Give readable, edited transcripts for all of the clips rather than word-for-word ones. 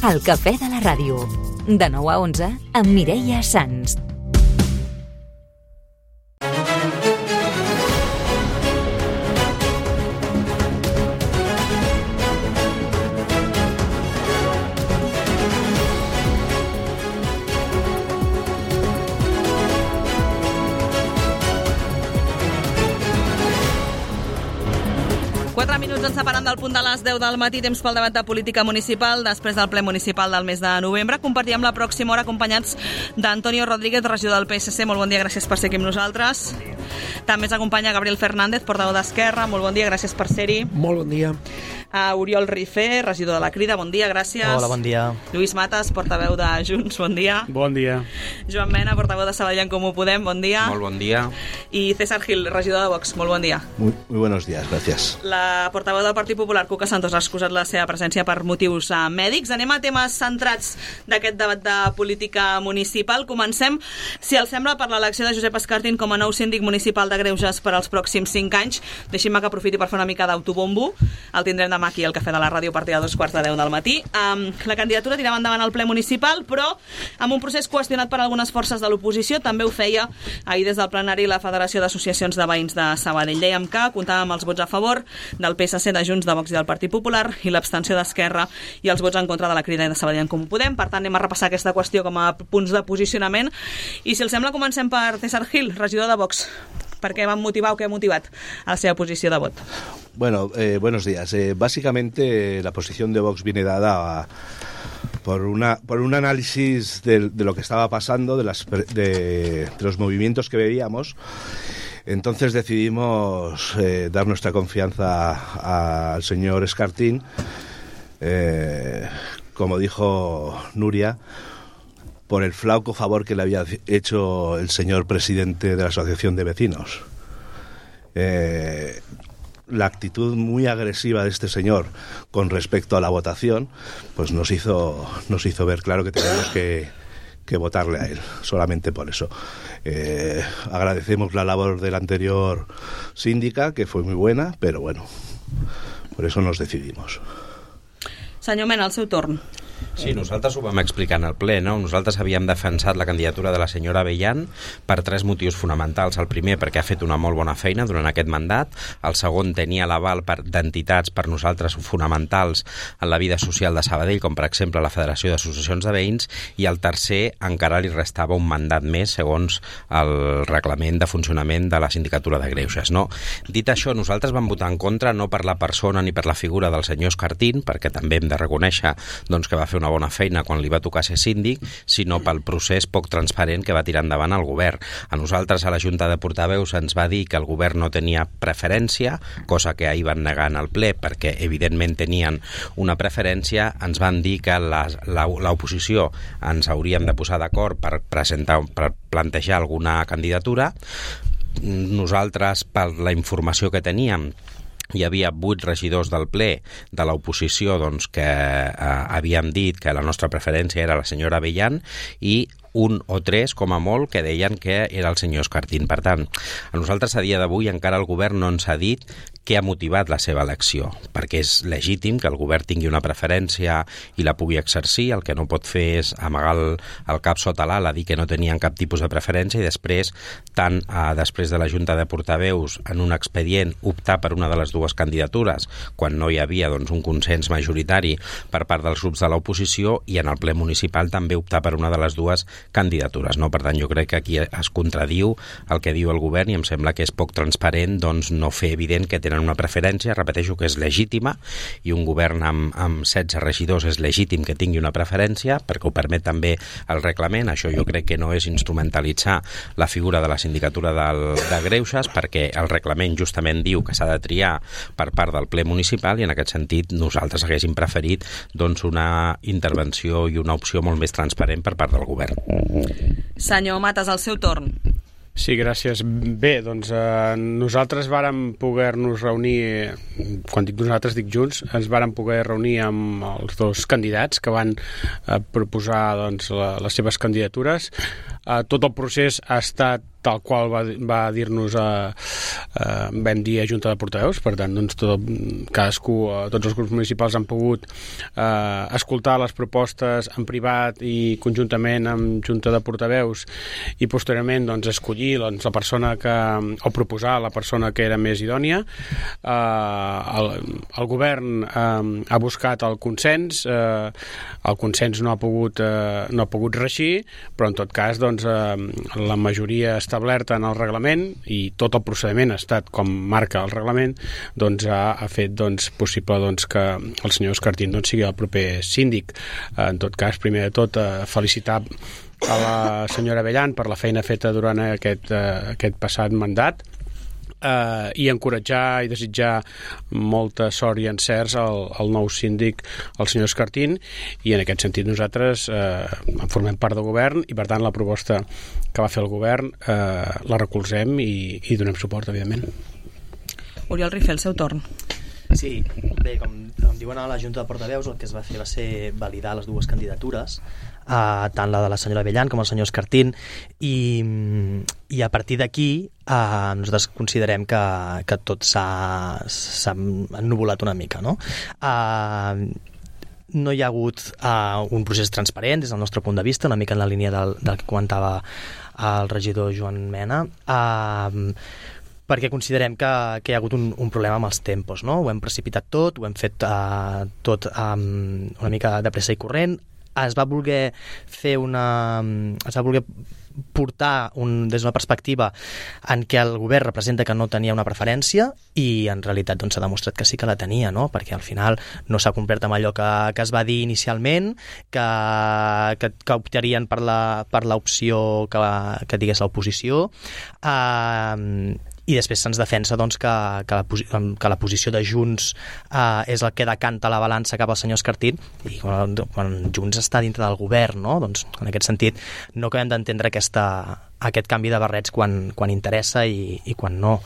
El cafè de la ràdio. De 9 a 11 amb Mireia Sans. Ens separant del punt de les 10 del matí, temps pel debat de política municipal. Després del ple municipal del mes de novembre, compartirem la pròxima hora acompanyats d'Antonio Rodríguez, regidor del PSC. Molt bon dia, gràcies per ser aquí amb nosaltres. També ens acompanya Gabriel Fernández, portaveu d'Esquerra. Molt bon dia, gràcies per ser-hi. Molt bon dia. Oriol Rifé, regidor de la Crida. Bon dia, gràcies. Hola, bon dia. Lluís Matas, portaveu de Junts. Bon dia. Bon dia. Joan Mena, portaveu de Sabadell en Comú Podem. Bon dia. Molt bon dia. I César Gil, regidor de Vox. Molt bon dia. Muy buenos días, gracias. La portaveu del Partit Popular, Cuca Santos, ha excusat la seva presència per motius mèdics. Anem a temes centrats d'aquest debat de política municipal. Comencem, si els sembla, per l'elecció de Josep Escartín com a nou síndic municipal de Greuges per als pròxims 5 anys. Deixin-me que aprofiti per fer una mica d'autobombo. El tindrem demà aquí al Cafè de la Ràdio a partir de 2:45 del matí. La candidatura tirava endavant al ple municipal, però amb un procés qüestionat per algunes forces de l'oposició. També ho feia ahir des del plenari la Federació d'Associacions de Veïns de Sabadell. Dèiem que comptava amb els vots a favor del PSC, de Junts, de Vox i del Partit Popular i l'abstenció d'Esquerra i els vots en contra de la Crida i de Sabadell en Comú Podem. Per tant, anem a repassar aquesta qüestió com a punts de posicionament. I si els sembla, comencem per César Gil, regidor de Vox. Per què van motivar o què ha motivat la seva posició de vot? Bueno, buenos días. Básicamente la posición de Vox viene dada por un análisis de lo que estaba pasando, de los movimientos que veíamos. Entonces decidimos dar nuestra confianza al señor Escartín. Como dijo Nuria, por el flauco favor que le había hecho el señor presidente de la Asociación de Vecinos. La actitud muy agresiva de este señor con respecto a la votación, pues nos hizo ver claro que teníamos que votarle a él, solamente por eso. Agradecemos la labor de la anterior síndica, que fue muy buena, pero bueno, por eso nos decidimos. Senyor Mena, al seu torn. Sí, nosaltres ho vam explicar en el ple, no? Nosaltres havíem defensat la candidatura de la senyora Abellán per 3 motius fonamentals. El primer, perquè ha fet una molt bona feina durant aquest mandat. El segon, tenia l'aval d'entitats per nosaltres fonamentals en la vida social de Sabadell, com per exemple la Federació d'Associacions de Veïns. I el tercer, encara li restava un mandat més segons el reglament de funcionament de la Sindicatura de Greuges, no? Dit això, nosaltres vam votar en contra no per la persona ni per la figura del senyor Escartín, perquè també hem de reconèixer doncs, que va fer una bona feina quan li va tocar ser síndic, sinó pel procés poc transparent que va tirar endavant el govern. A nosaltres, a la Junta de Portaveus, ens va dir que el govern no tenia preferència, cosa que ahir van negar en el ple, perquè evidentment tenien una preferència. Ens van dir que l'oposició ens hauríem de posar d'acord per plantejar alguna candidatura. Nosaltres, per la informació que teníem, hi havia 8 regidors del ple de l'oposició doncs, que havíem dit que la nostra preferència era la senyora Abellán i 1 o 3, com a molt, que deien que era el senyor Escartín. Per tant, a nosaltres a dia d'avui encara el govern no ens ha dit què ha motivat la seva elecció, perquè és legítim que el govern tingui una preferència i la pugui exercir. El que no pot fer és amagar el cap sota l'ala, dir que no tenien cap tipus de preferència i després, després de la Junta de Portaveus, en un expedient, optar per una de les dues candidatures, quan no hi havia doncs, un consens majoritari per part dels grups de l'oposició, i en el ple municipal també optar per una de les dues candidatures. No? Per tant, jo crec que aquí es contradiu el que diu el govern i em sembla que és poc transparent doncs, no fer evident que tenen una preferència. Repeteixo que és legítima i un govern amb 16 regidors és legítim que tingui una preferència perquè ho permet també el reglament. Això jo crec que no és instrumentalitzar la figura de la sindicatura de Greuges, perquè el reglament justament diu que s'ha de triar per part del ple municipal i en aquest sentit nosaltres haguéssim preferit doncs, una intervenció i una opció molt més transparent per part del govern. Senyor Matas, al seu torn. Sí, gràcies. Bé, doncs nosaltres vàrem poder-nos reunir, quan dic nosaltres dic Junts, ens vàrem poder reunir amb els dos candidats que van proposar doncs, les seves candidatures. Tot el procés ha estat tal qual va dir-nos vam dir a Junta de Portaveus. Per tant, doncs, cadascú, tots els grups municipals han pogut escoltar les propostes en privat i conjuntament amb Junta de Portaveus i posteriorment doncs, escollir la persona o proposar la persona que era més idònia. El govern ha buscat el consens, el consens no ha pogut reeixir, però en tot cas doncs, la majoria establerta en el reglament i tot el procediment ha estat com marca el reglament, doncs ha fet doncs, possible doncs, que el senyor Escartín doncs, sigui el proper síndic. En tot cas, primer de tot, felicitar a la senyora Abellán per la feina feta durant aquest passat mandat, i encoratjar i desitjar molta sort i encerts al nou síndic, el senyor Escartín, i en aquest sentit nosaltres en formem part del govern i per tant la proposta que va fer el govern la recolzem i donem suport, evidentment. Oriol Rifé, el seu torn. Sí, bé, com diuen a la Junta de Portaveus, el que es va fer va ser validar les dues candidatures, tant la de la senyora Abellán com el senyor Escartín, i a partir d'aquí nosaltres considerem que tot s'ha ennuvolat una mica, no? No hi ha hagut un procés transparent des del nostre punt de vista, una mica en la línia del que comentava el regidor Joan Mena, perquè considerem que hi ha hagut un problema amb els tempos, no? Ho hem precipitat tot, ho hem fet tot una mica de pressa i corrent. Es va voler portar des d'una perspectiva en què el govern representa que no tenia una preferència i en realitat doncs, s'ha demostrat que sí que la tenia, no? Perquè al final no s'ha complert amb allò que es va dir inicialment, que optarien per l'opció que digués l'oposició, i després se'ns defensa doncs, que la posició de Junts és el que decanta la balança cap al senyor Escartín, i quan Junts està dintre del govern, no? Doncs, en aquest sentit no acabem d'entendre aquest canvi de barrets quan interessa i quan no.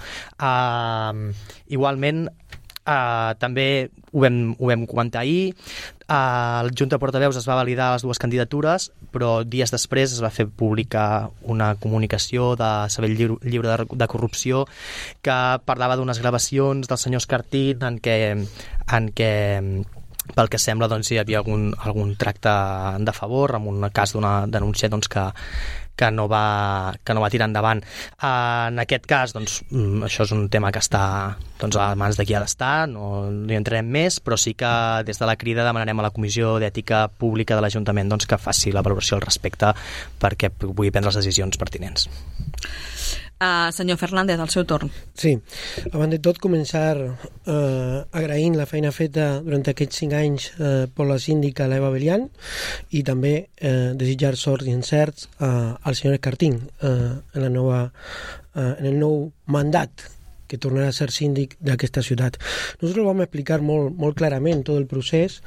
Igualment, també ho vam comentar ahir, el Junta de Portaveus es va validar les dues candidatures, però dies després es va fer pública una comunicació de Sabell Lliure de Corrupció que parlava d'unes gravacions del senyor Escartín en què pel que sembla doncs, hi havia algun tracte de favor amb un cas d'una denúncia doncs, que no va tirar endavant. En aquest cas, doncs, això és un tema que està doncs, a mans de qui ha d'estar, no hi entrarem més, però sí que des de la Crida demanarem a la Comissió d'Ètica Pública de l'Ajuntament doncs, que faci la valoració al respecte perquè pugui prendre les decisions pertinents. Senyor Fernández, el seu torn. Sí, abans de tot començar agraint la feina feta durant aquests 5 anys per la síndica l'Eva Abellán i també desitjar sort i encerts al senyor Escartín en el nou mandat que tornarà a ser síndic d'aquesta ciutat. Nosaltres vam explicar molt clarament tot el procés,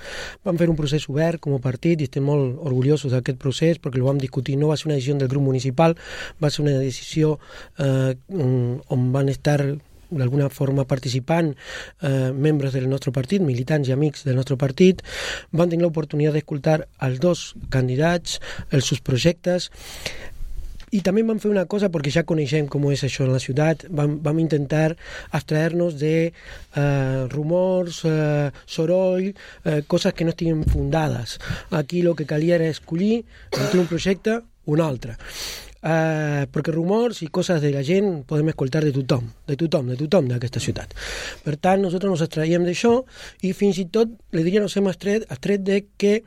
vam fer un procés obert com a partit i estem molt orgullosos d'aquest procés perquè el vam discutir, no va ser una decisió del grup municipal, va ser una decisió on van estar d'alguna forma participant membres del nostre partit, militants i amics del nostre partit, van tenir l'oportunitat d'escoltar els dos candidats, els seus projectes. I també vam fer una cosa, perquè ja coneixem com és això en la ciutat, vam intentar abstraer-nos de rumors, soroll, coses que no estiguin fundades. Aquí el que calia era escollir entre un projecte o un altre. Perquè rumors i coses de la gent podem escoltar de tothom d'aquesta ciutat. Per tant, nosaltres ens extraiem d'això i fins i tot, li diria, ens hem extret de que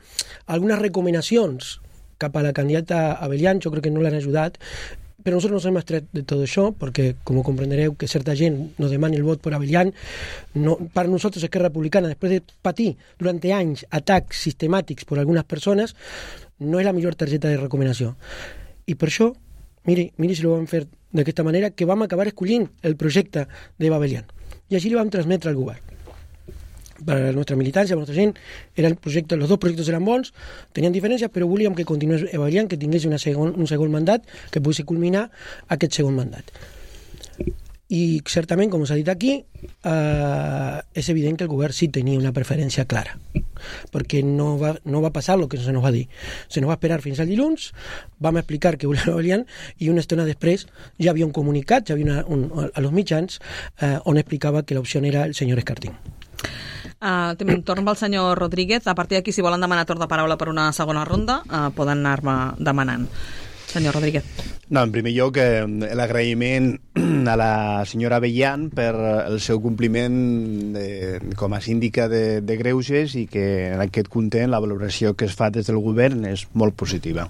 algunes recomanacions cap a la candidata Abellán, jo crec que no l'han ajudat, però nosaltres nos hem extret de tot això, perquè, com comprendereu, que certa gent nos demani el vot per Abellán, per nosaltres Esquerra Republicana, després de patir durant anys atacs sistemàtics per algunes persones, no és la millor targeta de recomanació. I per això, miri si ho vam fer d'aquesta manera, que vam acabar escollint el projecte d'Eva Abellán. I així li vam transmetre al govern. Per a la nostra militància, per a la nostra gent, els dos projectes eren bons, tenien diferències, però volíem que continués Eva Abellán, que tingués un segon mandat, que pogués culminar aquest segon mandat. I certament, com s'ha dit aquí, és evident que el govern sí tenia una preferència clara, perquè no va passar el que se nos va dir. Se nos va esperar fins al dilluns, vam explicar que volíem Abelián i una estona després ja havia un comunicat, ja havia a los mitjans on explicava que l'opció era el senyor Escartín. Torn pel senyor Rodríguez. A partir d'aquí, si volen demanar torn de paraula per una segona ronda, poden anar-me demanant. Senyor Rodríguez. No, en primer lloc, l'agraïment a la senyora Abelián per el seu compliment com a síndica de Greuges i que en aquest content la valoració que es fa des del govern és molt positiva.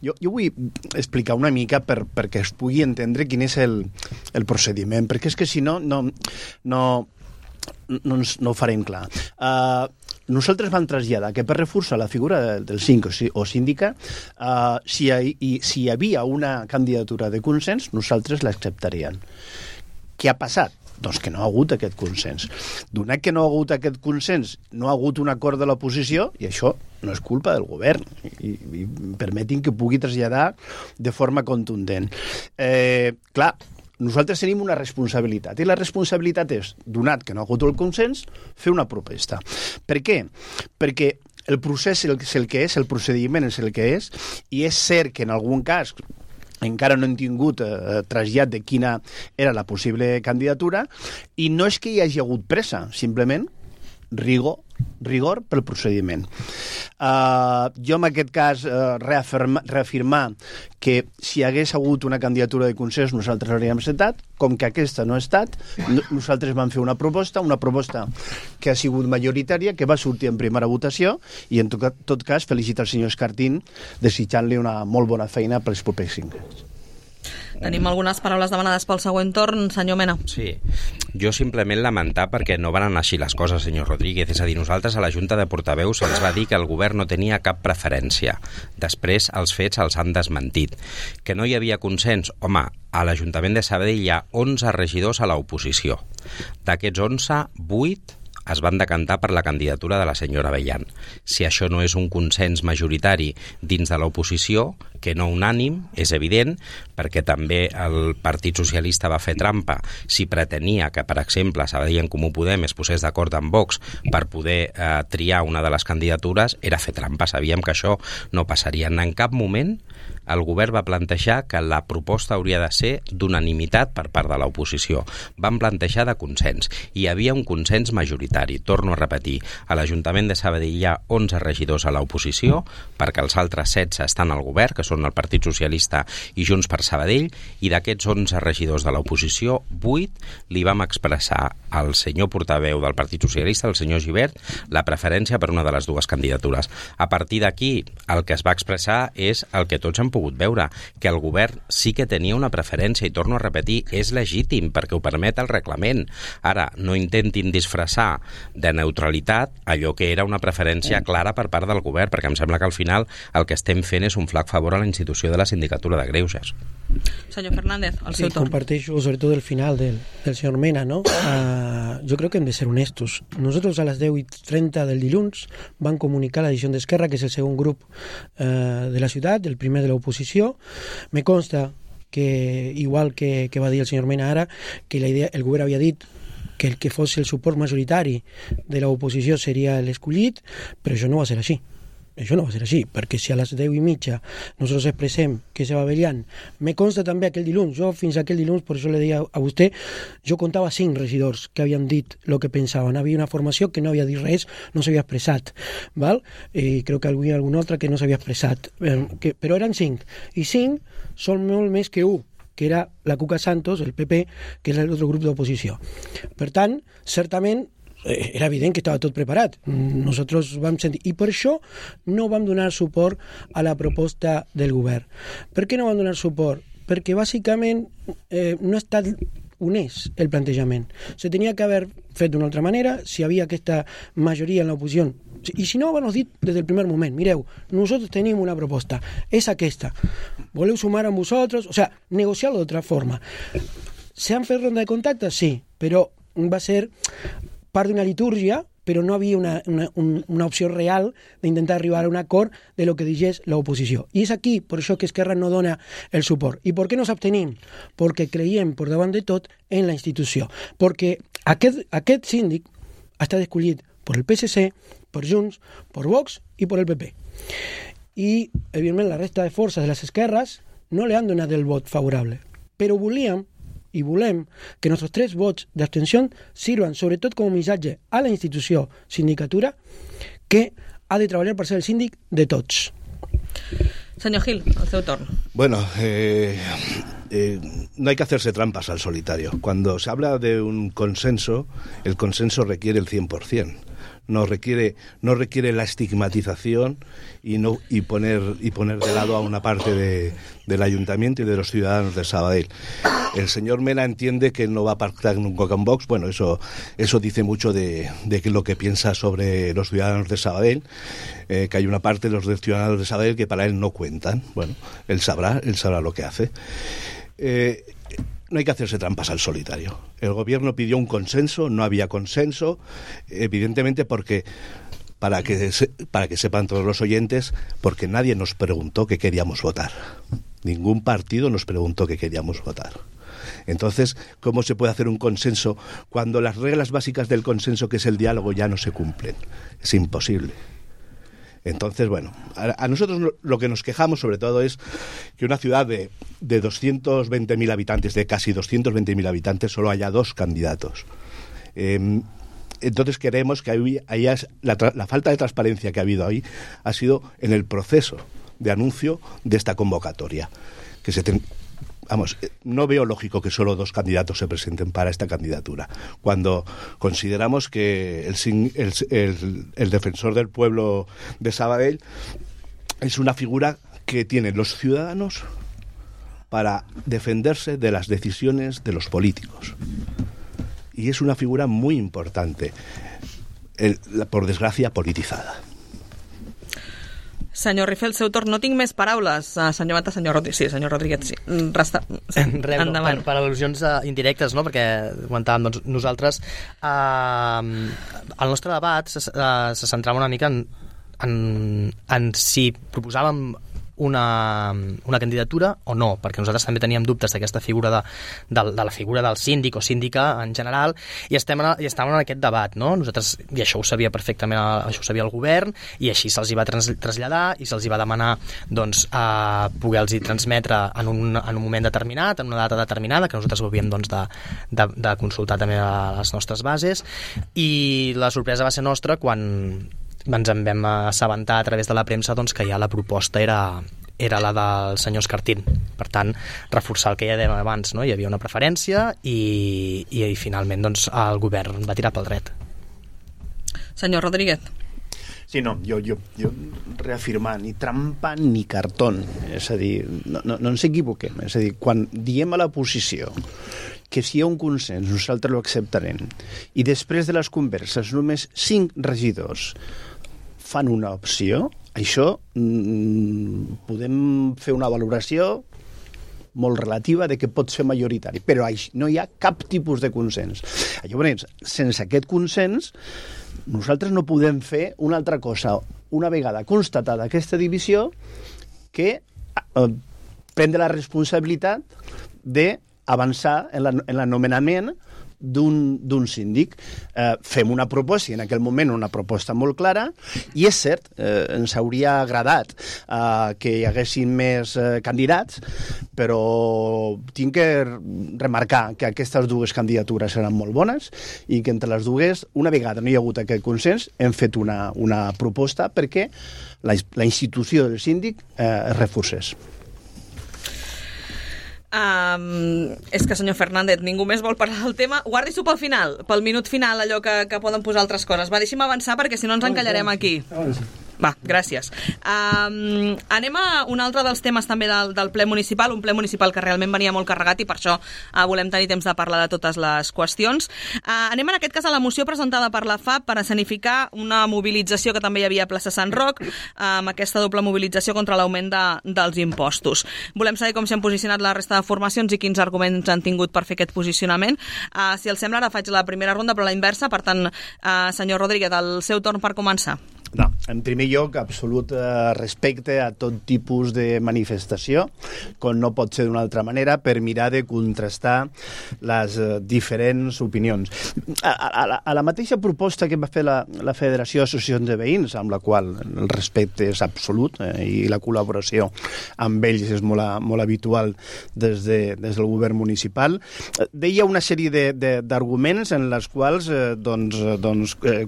Jo vull explicar una mica perquè es pugui entendre quin és el procediment, perquè és que si no ho farem clar. Nosaltres vam traslladar que per reforçar la figura del síndic o síndica, si hi havia una candidatura de consens, nosaltres l'acceptaríem. Què ha passat? Doncs que no ha hagut aquest consens. Donat que no ha hagut aquest consens, no ha hagut un acord de l'oposició, i això no és culpa del govern, i permetin que pugui traslladar de forma contundent. Clar, nosaltres tenim una responsabilitat, i la responsabilitat és, donat que no ha hagut el consens, fer una proposta. Per què? Perquè el procés és el que és, el procediment és el que és, i és cert que en algun cas encara no hem tingut trasllat de quina era la possible candidatura, i no és que hi hagi hagut pressa, simplement rigor pel procediment. Jo en aquest cas reafirmar que si hagués hagut una candidatura de consens nosaltres l'hauríem acceptat, com que aquesta no ha estat, nosaltres vam fer una proposta que ha sigut majoritària, que va sortir en primera votació, i en tot cas felicitar el senyor Escartín desitjant-li una molt bona feina pels propers 5 anys. Tenim algunes paraules demanades pel següent torn. Senyor Mena. Sí, jo simplement lamentar perquè no van anar així les coses, senyor Rodríguez. És a dir, nosaltres a la Junta de Portaveus se'ns va dir que el govern no tenia cap preferència. Després els fets els han desmentit. Que no hi havia consens? Home, a l'Ajuntament de Sabadell hi ha 11 regidors a l'oposició. D'aquests 11, 8 es van decantar per la candidatura de la senyora Abelián. Si això no és un consens majoritari dins de l'oposició, que no unànim, és evident, perquè també el Partit Socialista va fer trampa si pretenia que, per exemple, Sabadell en Comú Podem es posés d'acord amb Vox per poder triar una de les candidatures, era fer trampa. Sabíem que això no passaria. En cap moment el govern va plantejar que la proposta hauria de ser d'unanimitat per part de l'oposició. Van plantejar de consens. Hi havia un consens majoritari. Torno a repetir, a l'Ajuntament de Sabadell hi ha 11 regidors a l'oposició, perquè els altres 16 estan al govern, que són el Partit Socialista i Junts per Sabadell, i d'aquests 11 regidors de l'oposició, 8 li vam expressar al senyor portaveu del Partit Socialista, el senyor Gibert, la preferència per una de les dues candidatures. A partir d'aquí, el que es va expressar és el que tots hem pogut veure, que el govern sí que tenia una preferència, i torno a repetir, és legítim perquè ho permet el reglament. Ara, no intentin disfressar de neutralitat allò que era una preferència clara per part del govern, perquè em sembla que al final el que estem fent és un flac favor a la institució de la Sindicatura de Greuges. Senyor Fernández, el seu torn. Comparteixo sobre todo el final del señor Mena, ¿no? Yo creo que hem de ser honestos. Nosotros a las 10:30 del dilluns van comunicar la decisió d'Esquerra, que és el segon grup de la ciutat, el primer de l'oposició. Me consta que, igual que va dir el senyor Mena ara, que la idea, el govern havia dit que el que fos el suport majoritari de l'oposició seria l'escollit, però això no va ser així. Això no va ser així, perquè si a les 10:30 nosaltres expressem que se va Abelián, me consta també aquell dilluns, jo fins aquell dilluns, per això le deia a vostè, jo contava 5 regidors que havien dit el que pensaven. Havia una formació que no havia dit res, no s'havia expressat, val? I crec que havia alguna altra que no s'havia expressat, però eren 5, i 5 són molt més que 1, que era la Cuca Santos, el PP, que era l'altre grup d'oposició. Per tant, certament, era evident que estava tot preparat. Nosaltres vam sentir, i per això no vam donar suport a la proposta del govern. Per què no vam donar suport? Perquè bàsicament no ha estat honest el plantejament. Se tenia que haver fet d'una altra manera, si hi havia aquesta majoria en l'oposició. I si no, van dir des del primer moment, mireu, nosaltres tenim una proposta, és aquesta. Voleu sumar amb vosaltres? O sea, negociar-lo d'altra forma. ¿Se han fet ronda de contactes? Sí, però va ser part d'una litúrgia però no havia una opció real d'intentar arribar a un acord de lo que digués l'oposició. I és aquí, per això, que Esquerra no dona el suport. I per què nos abstenim? Perquè creiem, per davant de tot, en la institució. Perquè aquest síndic ha estat escollit per el PSC, per Junts, per Vox i per el PP. I, evidentment, la resta de forces de les esquerres no li han donat el vot favorable. Però volíem i volem que nostres 3 vots d'abstenció sirvan sobretot com a missatge a la institució sindicatura que ha de treballar per ser el síndic de tots. Senyor Gil, el seu torn. Bueno, no hay que hacerse trampas al solitario. Cuando se habla de un consenso, el consenso requiere el 100%. No requiere la estigmatización y poner de lado a una parte del ayuntamiento y de los ciudadanos de Sabadell. El señor Mena entiende que no va a pactar nunca con Vox. Bueno, eso dice mucho de lo que piensa sobre los ciudadanos de Sabadell, que hay una parte de los ciudadanos de Sabadell que para él no cuentan. Bueno, él sabrá lo que hace. No hay que hacerse trampas al solitario. El gobierno pidió un consenso, no había consenso, evidentemente porque, para que sepan todos los oyentes, porque nadie nos preguntó qué queríamos votar. Ningún partido nos preguntó qué queríamos votar. Entonces, ¿cómo se puede hacer un consenso cuando las reglas básicas del consenso, que es el diálogo, ya no se cumplen? Es imposible. Entonces, bueno, a nosotros lo que nos quejamos sobre todo es que una ciudad de 220.000 habitantes, de casi 220.000 habitantes, solo haya 2 candidatos. Entonces queremos que la falta de transparencia que ha habido ahí ha sido en el proceso de anuncio de esta convocatoria. No veo lógico que solo 2 candidatos se presenten para esta candidatura, cuando consideramos que el defensor del pueblo de Sabadell es una figura que tienen los ciudadanos para defenderse de las decisiones de los políticos. Y es una figura muy importante, por desgracia politizada. Senyor Rifel, seu torn. No tinc més paraules. Senyor Mata, senyor Rodríguez. Sí, senyor Rodríguez, sí. Endavant. Per al·lusions indirectes, no? Perquè comentàvem, doncs, nosaltres el nostre debat se centrava una mica en si proposàvem una candidatura o no, perquè nosaltres també teníem dubtes d'aquesta figura de la figura del síndic o síndica en general, i estàvem en aquest debat, no? Nosaltres, i això ho sabia perfectament, això ho sabia el govern, i així se'ls hi va traslladar i se'ls hi va demanar, doncs, poder-los transmetre en un moment determinat, en una data determinada, que nosaltres ho havíem, doncs, de consultar també a les nostres bases, i la sorpresa va ser nostra quan ens en vam assabentar a través de la premsa, doncs, que ja la proposta era la del senyor Escartín. Per tant, reforçar el que ja dèiem abans, no? Hi havia una preferència i finalment, doncs, el govern va tirar pel dret. Senyor Rodríguez. Sí, no, jo reafirmar, ni trampa ni cartón. És a dir, no ens equivoquem. És a dir, quan diem a la posició que si hi ha un consens nosaltres lo acceptarem i després de les converses només 5 regidors fan una opció, això podem fer una valoració molt relativa de que pot ser majoritari, però no hi ha cap tipus de consens. Llavors, sense aquest consens, nosaltres no podem fer una altra cosa, una vegada constatada aquesta divisió, que prendre la responsabilitat d'avançar en l'anomenament d'un síndic. Fem una proposta, i en aquell moment una proposta molt clara, i és cert, ens hauria agradat que hi haguessin més candidats, però tinc que remarcar que aquestes 2 candidatures eren molt bones i que entre les 2, una vegada no hi ha hagut aquest consens, hem fet una proposta perquè la institució del síndic es reforcés. És que, senyor Fernández, ningú més vol parlar del tema. Guardi-s'ho pel final, pel minut final, allò que poden posar altres coses. Va, deixi'm avançar perquè si no ens encallarem aquí. Va, gràcies. Anem a un altre dels temes també del ple municipal, un ple municipal que realment venia molt carregat i per això volem tenir temps de parlar de totes les qüestions. Anem en aquest cas a la moció presentada per la FAP per escenificar una mobilització que també hi havia a plaça Sant Roc, amb aquesta doble mobilització contra l'augment dels impostos. Volem saber com s'han posicionat la resta de formacions i quins arguments han tingut per fer aquest posicionament. Si els sembla, ara faig la primera ronda, però la inversa. Per tant, senyor Rodríguez, el seu torn per començar. No, en primer lloc, absolut respecte a tot tipus de manifestació, com no pot ser d'una altra manera, per mirar de contrastar les diferents opinions. A la mateixa proposta que va fer la Federació d'Associacions de Veïns, amb la qual el respecte és absolut i la col·laboració amb ells és molt habitual des del govern municipal, deia una sèrie d'arguments en les quals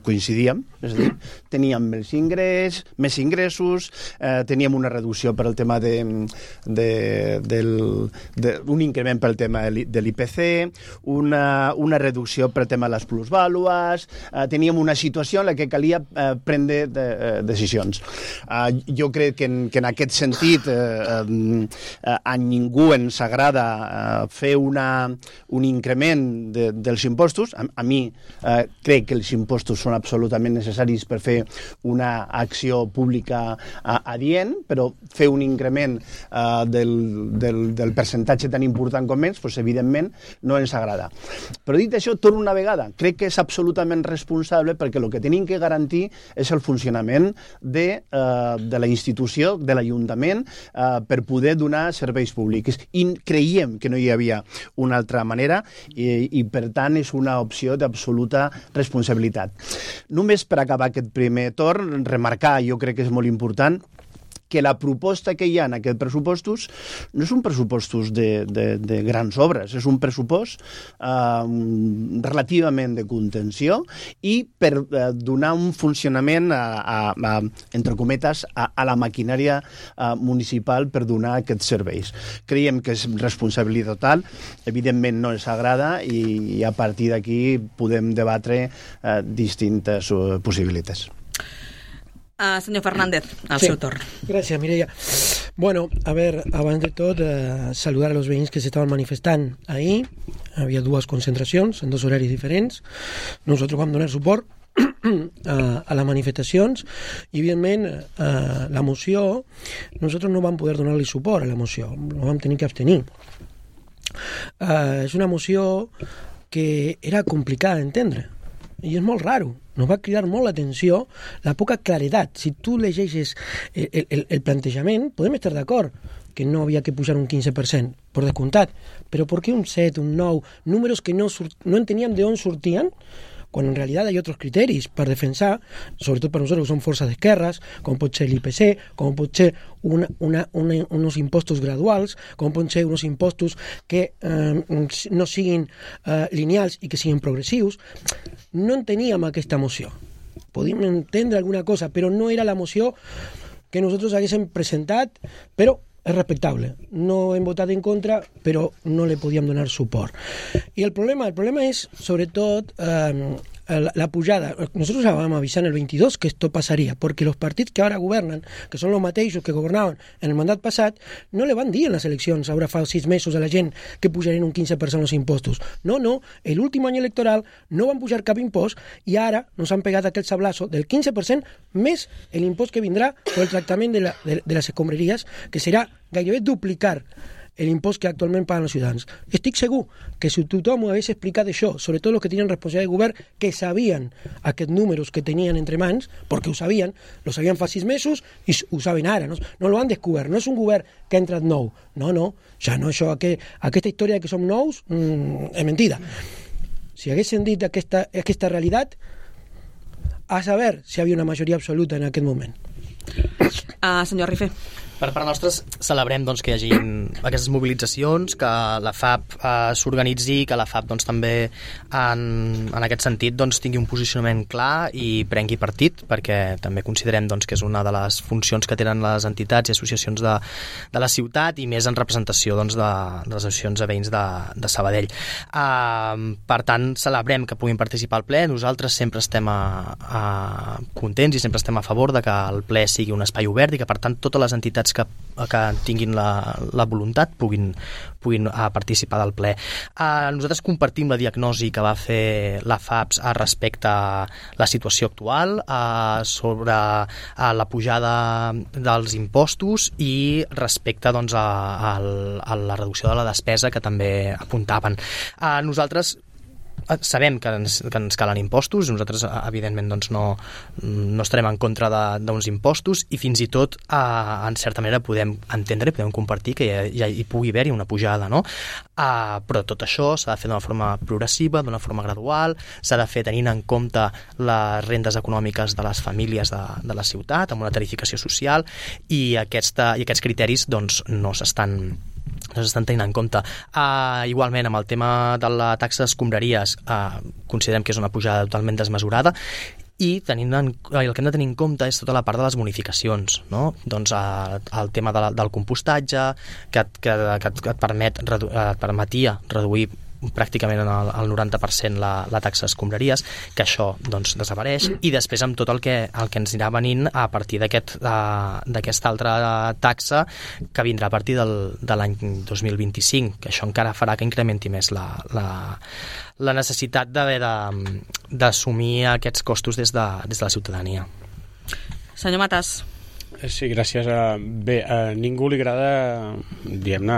coincidíem, és a dir, teníem més ingressos, teníem una reducció per al tema d'un increment pel tema de l'IPC, una reducció per al tema de les plusvàlues, teníem una situació en la que calia prendre decisions. Jo crec que en aquest sentit a ningú ens agrada fer un increment dels impostos. A mi crec que els impostos són absolutament necessaris per fer una acció pública adient, però fer un increment del percentatge tan important com ells, doncs, evidentment, no ens agrada. Però dit això, torno una vegada, crec que és absolutament responsable perquè el que tenim que garantir és el funcionament de la institució, de l'Ajuntament, per poder donar serveis públics. I creiem que no hi havia una altra manera i per tant, és una opció d'absoluta responsabilitat. Només per acabar aquest primer torn, remarcar, jo crec que és molt important, que la proposta que hi ha en aquests pressupostos no és un pressupostos de grans obres, és un pressupost relativament de contenció i per donar un funcionament, entre cometes, a la maquinària municipal per donar aquests serveis. Creiem que és responsabilitat total, evidentment no ens agrada i a partir d'aquí podem debatre distintes possibilitats. Senyor Fernández, al seu torn. Gràcies, Mireia. Bueno, a ver, abans de tot, saludar a los veïns que s'estaven manifestant ahir. Havia dues concentracions en dos horaris diferents. Nosaltres vam donar suport a les manifestacions i, evidentment, la moció, nosaltres no vam poder donar-li suport a la moció, no vam tenir que abstenir. És una moció que era complicada d'entendre i és molt raro. Nos va cridar molt l'atenció la poca claredat. Si tu llegeixes el plantejament, podem estar d'acord que no havia que pujar un 15%, per descomptat, però per què un 7, un 9, números que no enteníem d'on sortien, quan en realitat hi ha altres criteris per defensar, sobretot per nosaltres que som forces d'esquerres, com pot ser l'IPC, com pot ser uns impostos graduals, com pot ser uns impostos que no siguin lineals i que siguin progressius. No enteníem aquesta moció. Podíem entendre alguna cosa, però no era la moció que nosaltres haguéssim presentat, però és respectable. No hem votat en contra, però no le podíem donar suport. I el problema és, sobretot, la pujada. Nosotros vam avisar en el 22 que esto pasaría, porque los partidos que ahora gobernan, que son los mateixos que governaven en el mandat passat, no le van dir en les eleccions, ara fa 6 mesos a la gent que pujarien un 15% els impostos. No, l'últim any electoral no van pujar cap impost i ara nos han pegat aquest sablazo del 15% més l'impost que vindrà per el tractament de les escombraries, que serà gairebé duplicar l'impost que actualment paguen els ciutadans. Estic segur que si tothom ho hagués explicat això, sobretot els que tenien responsabilitat de govern, que sabien aquests números que tenien entre mans, perquè ho sabien fa 6 mesos i ho saben ara, no lo han descobert, no és un govern que ha entrat nou, no, ja no, això, aquesta història de que som nous és mentida. Si haguessin dit aquesta realitat, a saber si hi havia una majoria absoluta en aquest moment. Senyor Rifé. Per part nostra celebrem doncs, que hi hagi aquestes mobilitzacions, que la FAP s'organitzi, que la FAP doncs, també en aquest sentit doncs, tingui un posicionament clar i prengui partit, perquè també considerem doncs, que és una de les funcions que tenen les entitats i associacions de la ciutat i més en representació doncs, de les associacions de veïns de Sabadell. Per tant, celebrem que puguin participar al ple. Nosaltres sempre estem contents i sempre estem a favor de que el ple sigui un espai obert i que per tant totes les entitats que tinguin la voluntat puguin participar del ple. Nosaltres compartim la diagnosi que va fer la FAPS respecte a la situació actual, sobre la pujada dels impostos i respecte doncs, a la reducció de la despesa que també apuntaven. Nosaltres sabem que ens calen impostos, nosaltres evidentment doncs, no estarem en contra d'uns impostos i fins i tot en certa manera podem entendre i podem compartir que hi pugui haver-hi una pujada, no? Però tot això s'ha de fer d'una forma progressiva, d'una forma gradual, s'ha de fer tenint en compte les rendes econòmiques de les famílies de la ciutat, amb una tarificació social i aquests criteris doncs, no s'estan tenint en compte. Igualment, amb el tema de la taxa d'escombraries, considerem que és una pujada totalment desmesurada i el que hem de tenir en compte és tota la part de les bonificacions, no? Doncs el tema del compostatge que et permetia reduir pràcticament al 90% la taxa d'escombraries, que això doncs, desapareix, i després amb tot el que ens anirà venint a partir d'aquesta altra taxa que vindrà a partir de l'any 2025, que això encara farà que incrementi més la necessitat d'haver d'assumir aquests costos des de la ciutadania. Senyor Matas. Sí, gràcies. Bé, a ningú li agrada, diguem-ne,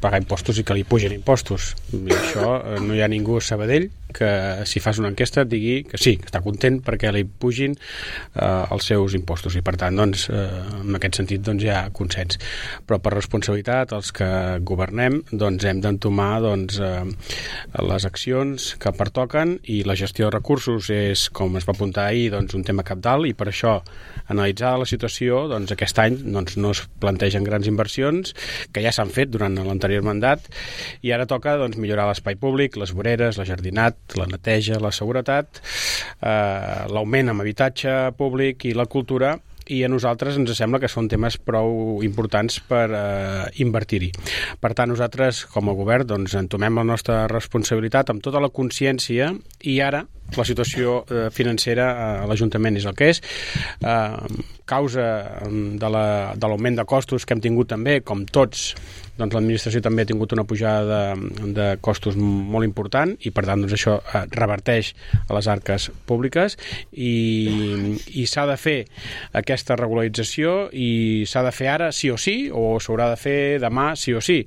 pagar impostos i que li pugin impostos. I això no hi ha ningú a Sabadell que si fas una enquesta et digui que sí, que està content perquè li pugin els seus impostos i per tant, doncs, en aquest sentit doncs, hi ha consens. Però per responsabilitat, els que governem doncs, hem d'entomar doncs, les accions que pertoquen i la gestió de recursos és, com es va apuntar ahir, doncs, un tema cabdal i per això, analitzada la situació, doncs, aquest any doncs, no es plantegen grans inversions que ja s'han fet durant l'anterior mandat i ara toca doncs, millorar l'espai públic, les voreres, la jardinat, la neteja, la seguretat, l'augment en habitatge públic i la cultura, i a nosaltres ens sembla que són temes prou importants per invertir-hi. Per tant, nosaltres, com a govern, doncs, entomem la nostra responsabilitat amb tota la consciència i ara la situació financera a l'Ajuntament és el que és. Causa de l'augment de costos que hem tingut també, com tots, doncs l'administració també ha tingut una pujada de costos molt important i per tant doncs, això reverteix a les arques públiques i s'ha de fer aquesta regularització i s'ha de fer ara sí o sí o s'haurà de fer demà sí o sí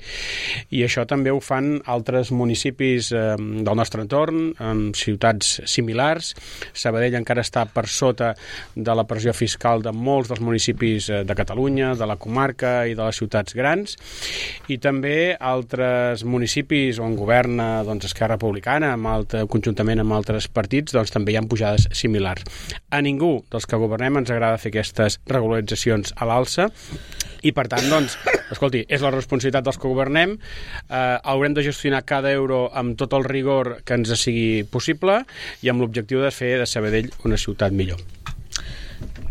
i això també ho fan altres municipis del nostre entorn, en ciutats similars. Sabadell encara està per sota de la pressió fiscal de molts dels municipis de Catalunya, de la comarca i de les ciutats grans i també altres municipis on governa doncs, Esquerra Republicana conjuntament amb altres partits doncs, també hi ha pujades similars. A ningú dels que governem ens agrada fer aquestes regularitzacions a l'alça i per tant, doncs, escolti, és la responsabilitat dels que governem, haurem de gestionar cada euro amb tot el rigor que ens sigui possible i amb l'objectiu de fer de Sabadell una ciutat millor.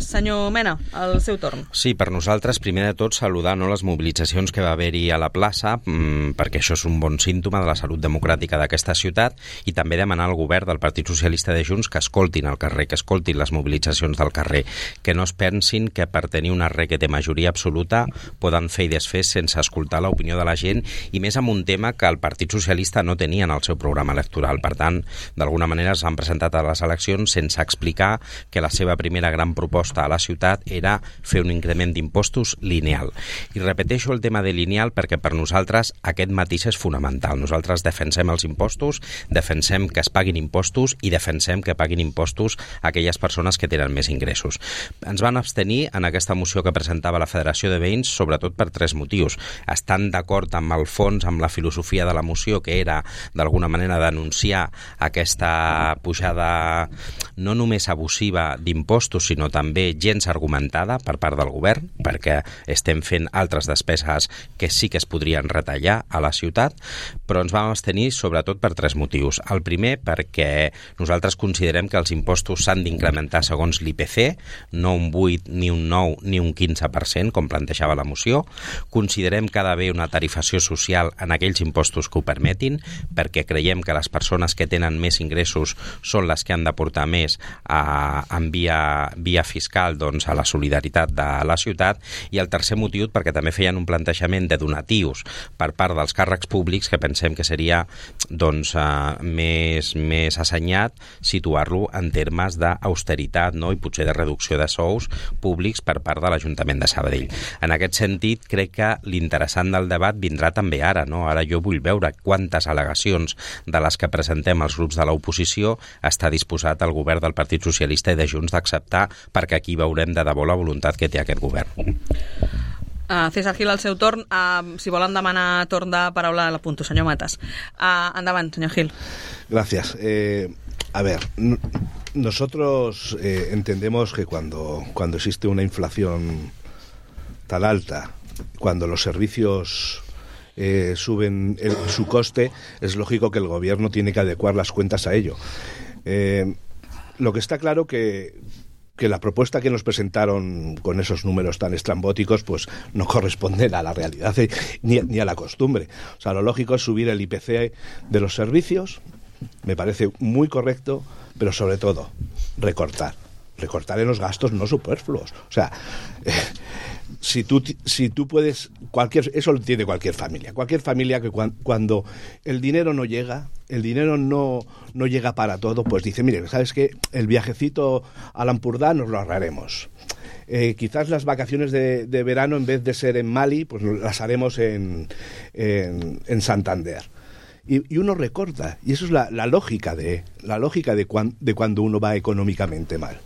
Senyor Mena, el seu torn. Sí, per nosaltres, primer de tot, saludar les mobilitzacions que va haver-hi a la plaça, perquè això és un bon símptoma de la salut democràtica d'aquesta ciutat, i també demanar al govern del Partit Socialista de Junts que escoltin el carrer, que escoltin les mobilitzacions del carrer, que no es pensin que per tenir una requete majoria absoluta poden fer i desfer sense escoltar l'opinió de la gent, i més amb un tema que el Partit Socialista no tenia en el seu programa electoral. Per tant, d'alguna manera s'han presentat a les eleccions sense explicar que la seva primera gran proposta a la ciutat era fer un increment d'impostos lineal. I repeteixo el tema de lineal perquè per nosaltres aquest matís és fonamental. Nosaltres defensem els impostos, defensem que es paguin impostos i defensem que paguin impostos a aquelles persones que tenen més ingressos. Ens van abstenir en aquesta moció que presentava la Federació de Veïns, sobretot per 3 motius. Estan d'acord amb el fons, amb la filosofia de la moció, que era d'alguna manera denunciar aquesta pujada no només abusiva d'impostos, sinó també també gens argumentada per part del govern, perquè estem fent altres despeses que sí que es podrien retallar a la ciutat, però ens vam abstenir sobretot per 3 motius. El primer, perquè nosaltres considerem que els impostos s'han d'incrementar segons l'IPC, no un 8, ni un 9, ni un 15%, com plantejava la moció. Considerem que ha d'haver una tarifació social en aquells impostos que ho permetin, perquè creiem que les persones que tenen més ingressos són les que han de portar més en via fiscal doncs, a la solidaritat de la ciutat. I el tercer motiu, perquè també feien un plantejament de donatius per part dels càrrecs públics, que pensem que seria doncs, més assenyat situar-lo en termes d'austeritat, no? I potser de reducció de sous públics per part de l'Ajuntament de Sabadell. En aquest sentit, crec que l'interessant del debat vindrà també ara, no? Ara jo vull veure quantes al·legacions de les que presentem els grups de l'oposició està disposat el govern del Partit Socialista i de Junts d'acceptar, perquè aquí veurem de debò la voluntat que té aquest govern. César Gil, al seu torn, si volen demanar torn de paraula, l'apunto, senyor Matas. Endavant, senyor Gil. Gracias. A ver, nosotros entendemos que cuando existe una inflación tan alta, cuando los servicios suben su coste, es lógico que el gobierno tiene que adecuar las cuentas a ello. Lo que está claro que la propuesta que nos presentaron con esos números tan estrambóticos pues no corresponden a la realidad ni a la costumbre. O sea, lo lógico es subir el IPC de los servicios, me parece muy correcto, pero sobre todo recortar en los gastos no superfluos. O sea, si tú puedes, eso lo tiene cualquier familia que cuando el dinero no llega, no llega para todo, pues dice, mire, ¿sabes qué? El viajecito al Ampurdá nos lo ahorraremos. Quizás las vacaciones de verano, en vez de ser en Mali, pues las haremos en Santander. Y uno recorta, y eso es la lógica de cuando uno va económicamente mal.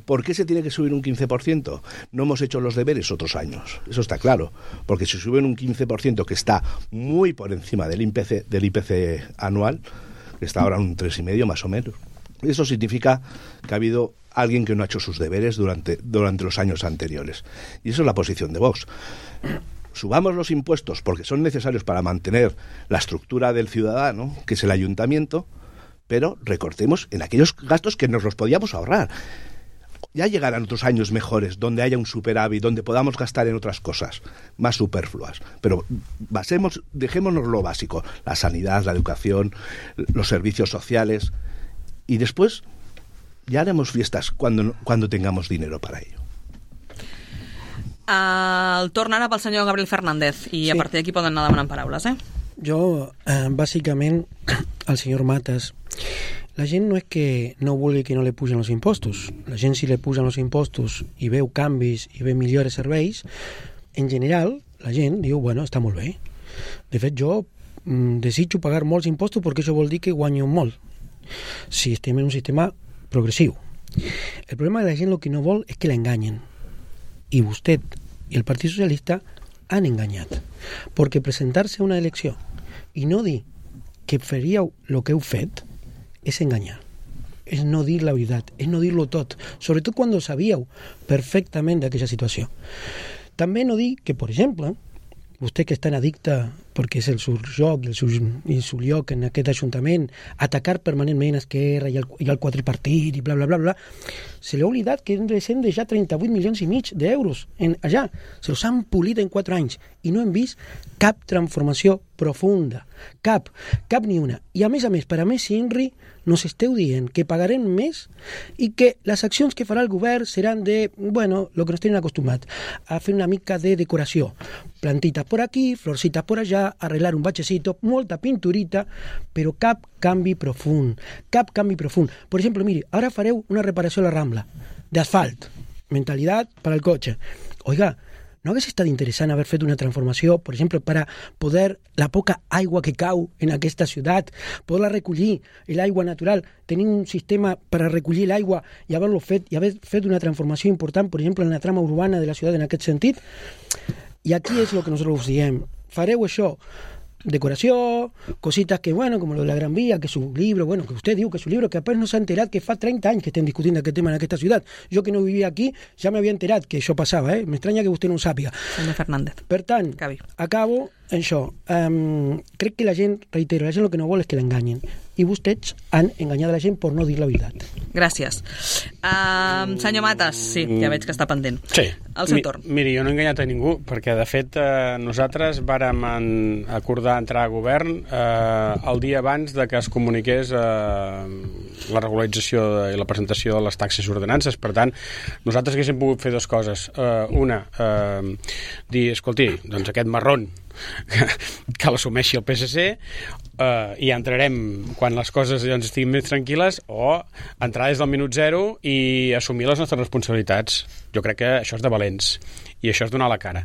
¿Por qué se tiene que subir un 15%? No hemos hecho los deberes otros años, eso está claro, porque si suben un 15% que está muy por encima del IPC anual, que está ahora en un 3,5 más o menos, eso significa que ha habido alguien que no ha hecho sus deberes durante los años anteriores. Y eso es la posición de Vox. Subamos los impuestos porque son necesarios para mantener la estructura del ciudadano, que es el ayuntamiento, pero recortemos en aquellos gastos que nos los podíamos ahorrar. Ya llegarán otros años mejores, donde haya un superávit, donde podamos gastar en otras cosas más superfluas. Pero dejémonos lo básico, la sanidad, la educación, los servicios sociales, y después ya haremos fiestas cuando tengamos dinero para ello. El torn ara pel senyor Gabriel Fernández, i a partir d'aquí poden anar demanant paraules, Jo, bàsicament, al senyor Matas, la gent no és que no vulgui que no li pugen els impostos. La gent, si li pugen els impostos i veu canvis i veu millors serveis, en general, la gent diu, bueno, està molt bé. De fet, jo desitjo pagar molts impostos perquè això vol dir que guanyo molt, si estem en un sistema progressiu. El problema de la gent el que no vol és que l'enganyen. I vostè i el Partit Socialista han enganyat. Perquè presentar-se a una elecció i no dir que faríeu el que heu fet és enganyar. És no dir la veritat, és no dir-lo tot, sobretot quan sabíeu perfectament d'aquesta situació. També no dir que, per exemple, vostè que és tan addicte, perquè és el seu joc i el seu lloc en aquest ajuntament, atacar permanentment Esquerra i el quadripartit i bla, bla, bla, bla, se li ha oblidat que hem deixat 38,5 milions d'euros allà. Se els han polit en 4 anys i no hem vist cap transformació profunda. Cap ni una. I a més, per a més, Inri, nos esteu dient que pagarem més i que les accions que farà el govern seran de, bueno, lo que nos tenen acostumat, a fer una mica de decoració. Plantitas por aquí, florcitas por allá, arreglar un bachecito, molta pinturita, però cap canvi profund. Cap canvi profund. Per exemple, mire, ara fareu una reparació a la Rambla, d'asfalt, mentalitat per al cotxe. Oiga, ¿no hagués estat interessant haver fet una transformació, per exemple, per a poder la poca aigua que cau en aquesta ciutat, poder-la recollir, l'aigua natural, tenir un sistema per a recollir l'aigua i haver-lo fet, i haver fet una transformació important, per exemple, en la trama urbana de la ciutat en aquest sentit? I aquí és el que nosaltres us diem. Fareu això, decoració, cositas que, bueno, como lo de la Gran Vía, que su libro, bueno, que usted diu que su libro, que apenas no s'ha enterat que fa 30 anys que estem discutint aquest tema en aquesta ciutat. Jo que no vivia aquí ja m'havia enterat que això passava, m'estranya que vostè no ho sàpiga. Senyor Fernández. Per tant, acabo en això. Crec que la gent, reitero, la gent el que no vol és que l'enganyen. I vostès han enganyat la gent per no dir la veritat. Gràcies. Senyor Matas, sí, ja veig que està pendent. Sí. El seu torn. Miri, jo no he enganyat a ningú, perquè de fet nosaltres vàrem acordar entrar a govern el dia abans de que es comuniqués la regularització i la presentació de les taxes i ordenances. Per tant, nosaltres haguéssim pogut fer dues coses. Una, dir, escolti, doncs aquest marrón que l'assumeixi el PSC i entrarem quan les coses doncs, estiguin més tranquil·les, o entrar des del minut zero i assumir les nostres responsabilitats. Jo crec que això és de valents i això és donar la cara.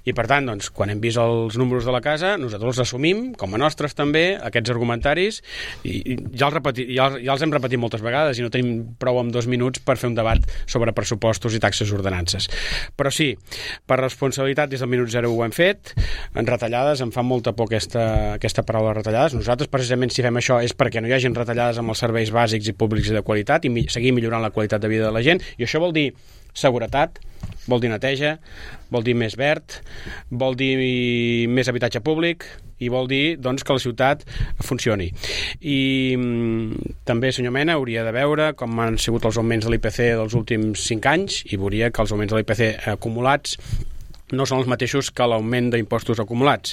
I per tant, doncs, quan hem vist els números de la casa, nosaltres els assumim com a nostres també, aquests argumentaris, i ja els hem repetit moltes vegades i no tenim prou amb 2 minuts per fer un debat sobre pressupostos i taxes i ordenances. Però sí, per responsabilitat des del minut zero ho hem fet. En retallades, em fa molta por aquesta paraula retallades. Nosaltres precisament si fem això és perquè no hi hagin retallades amb els serveis bàsics i públics i de qualitat i seguir millorant la qualitat de vida de la gent, i això vol dir seguretat, vol dir neteja, vol dir més verd, vol dir més habitatge públic i vol dir doncs, que la ciutat funcioni. I també, senyor Mena, hauria de veure com han sigut els augments de l'IPC dels últims 5 anys i veuria que els augments de l'IPC acumulats no són els mateixos que l'augment d'impostos acumulats.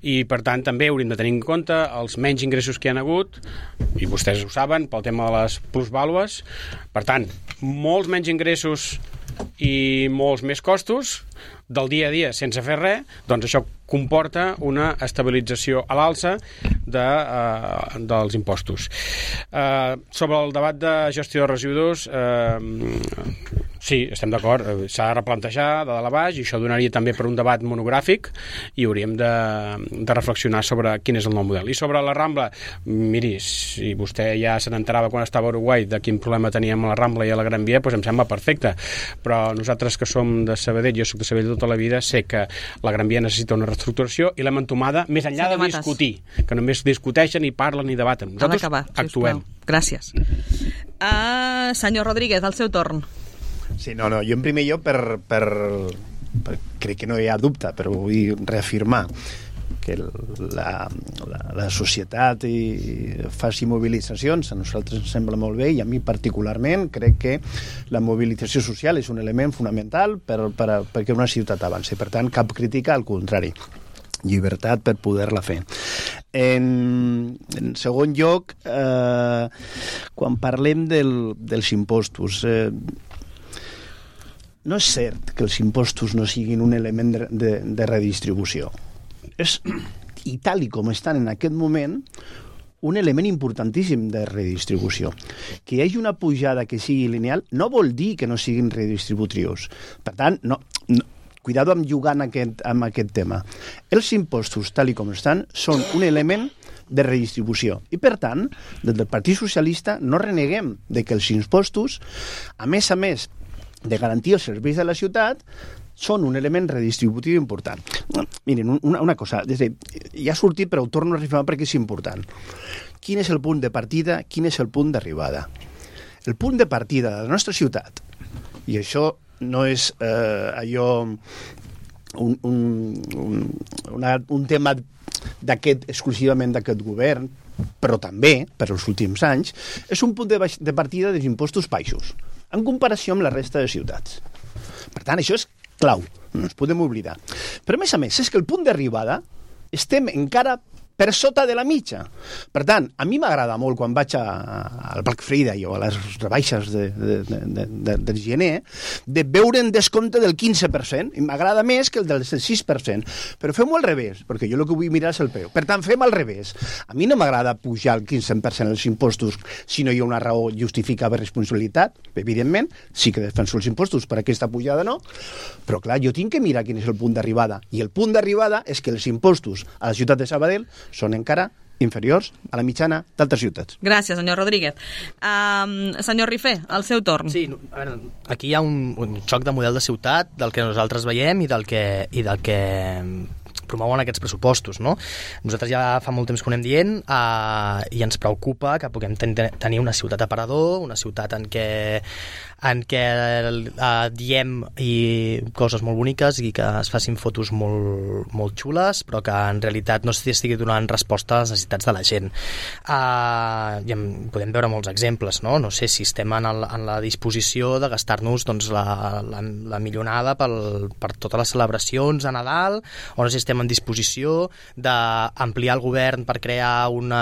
I, per tant, també hauríem de tenir en compte els menys ingressos que hi ha hagut, i vostès ho saben, pel tema de les plusvàlues. Per tant, molts menys ingressos i molts més costos del dia a dia sense fer res, doncs això comporta una estabilització a l'alça dels impostos. Sobre el debat de gestió de residus, sí, estem d'acord, s'ha de replantejar de dalt a baix i això donaria també per un debat monogràfic i hauríem de reflexionar sobre quin és el nou model. I sobre la Rambla, miri, si vostè ja se n'enterava quan estava a Uruguai de quin problema teníem a la Rambla i a la Gran Via, doncs em sembla perfecte, però nosaltres que som de Sabadell, jo soc de Sabadell tota la vida, sé que la Gran Via necessita una reestructuració i l'hem entomada més enllà de discutir, que només discuteixen i parlen i debaten. Nosaltres actuem. Gràcies. Senyor Rodríguez, el seu torn. Sí, no, jo en primer lloc crec que no hi ha dubte, però vull reafirmar que la societat faci mobilitzacions, a nosaltres ens sembla molt bé i a mi particularment crec que la mobilització social és un element fonamental perquè una ciutat avanci. Per tant, cap crítica, al contrari, llibertat per poder-la fer. En segon lloc, quan parlem dels impostos, no és cert que els impostos no siguin un element de redistribució. És, i tal com estan en aquest moment, un element importantíssim de redistribució. Que hi hagi una pujada que sigui lineal no vol dir que no siguin redistributius. Per tant, cuidado amb jugar amb aquest tema. Els impostos, tal com estan, són un element de redistribució. I, per tant, des del Partit Socialista no reneguem de que els impostos, a més de garantir els serveis de la ciutat, són un element redistributiu important. Miren, una cosa, ja ha sortit però ho torno a reafirmar perquè és important. Quin és el punt de partida, quin és el punt d'arribada? El punt de partida de la nostra ciutat, i això no és un tema exclusivament d'aquest govern, però també, per als últims anys, és un punt de partida dels impostos baixos, en comparació amb la resta de ciutats. Per tant, això és clau, no ens podem oblidar. Però, a més, és que el punt d'arribada estem encara per sota de la mitja. Per tant, a mi m'agrada molt quan vaig al Black Friday o a les rebaixes del gener de veure en descompte del 15%, i m'agrada més que el del 6%. Però fem-ho al revés, perquè jo el que vull mirar és el preu. Per tant, fem al revés. A mi no m'agrada pujar el 15% els impostos si no hi ha una raó justificada per responsabilitat. Evidentment, sí que defenso els impostos per aquesta pujada, no? Però, clar, jo tinc que mirar quin és el punt d'arribada. I el punt d'arribada és que els impostos a la ciutat de Sabadell són encara inferiors a la mitjana d'altres ciutats. Gràcies, senyor Rodríguez. Senyor Rifé, el seu torn. Sí, a veure, aquí hi ha un xoc de model de ciutat del que nosaltres veiem i del que promouen aquests pressupostos, no? Nosaltres ja fa molt temps que ho anem dient i ens preocupa que puguem tenir una ciutat aparador, una ciutat en què diem coses molt boniques i que es facin fotos molt xules, però que en realitat no s'estigui donant resposta a les necessitats de la gent. I podem veure molts exemples, no? No sé si estem en la disposició de gastar-nos doncs, la milionada per totes les celebracions a Nadal, o no sé si estem en disposició d'ampliar el govern per crear un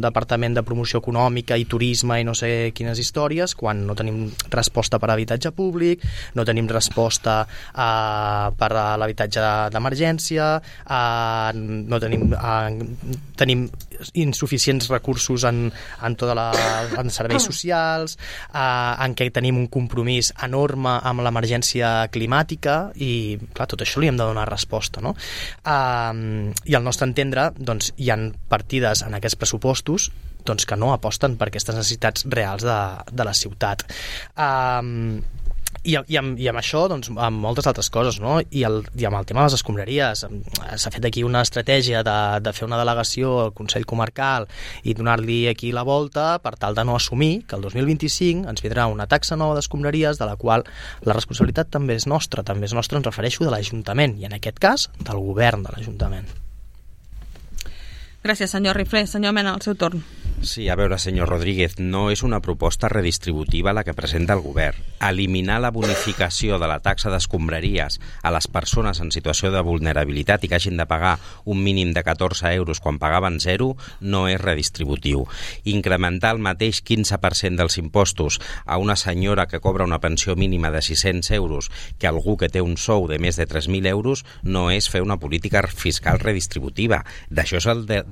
departament de promoció econòmica i turisme i no sé quines històries, quan no tenim resposta per a habitatge públic, no tenim resposta per a l'habitatge d'emergència, no tenim insuficients recursos en serveis socials, en què tenim un compromís enorme amb l'emergència climàtica i, clar, tot això li hem de donar resposta, no? I al nostre entendre, doncs, hi ha partides en aquests pressupostos doncs, que no aposten per aquestes necessitats reals de la ciutat. I amb això, doncs, amb moltes altres coses, no? I amb el tema de les escombraries, s'ha fet aquí una estratègia de fer una delegació al Consell Comarcal i donar-li aquí la volta per tal de no assumir que el 2025 ens vindrà una taxa nova d'escombraries de la qual la responsabilitat també és nostra, em refereixo de l'Ajuntament, i en aquest cas del govern de l'Ajuntament. Gràcies, senyor Riflé. Senyor Mena, al seu torn. Sí, a veure, senyor Rodríguez, no és una proposta redistributiva la que presenta el govern. Eliminar la bonificació de la taxa d'escombraries a les persones en situació de vulnerabilitat i que hagin de pagar un mínim de 14 euros quan pagaven 0 no és redistributiu. Incrementar el mateix 15% dels impostos a una senyora que cobra una pensió mínima de 600 euros que algú que té un sou de més de 3.000 euros no és fer una política fiscal redistributiva. D'això és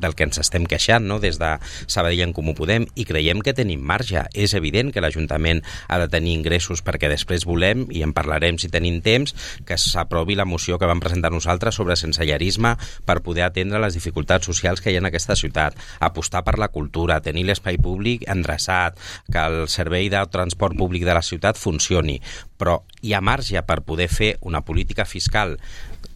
del que ens estem queixant, no?, des de Sabadell en Comú Podem, i creiem que tenim marge. És evident que l'Ajuntament ha de tenir ingressos perquè després volem, i en parlarem si tenim temps, que s'aprovi la moció que vam presentar nosaltres sobre sensellarisme per poder atendre les dificultats socials que hi ha en aquesta ciutat, apostar per la cultura, tenir l'espai públic endreçat, que el servei de transport públic de la ciutat funcioni, però hi ha marge per poder fer una política fiscal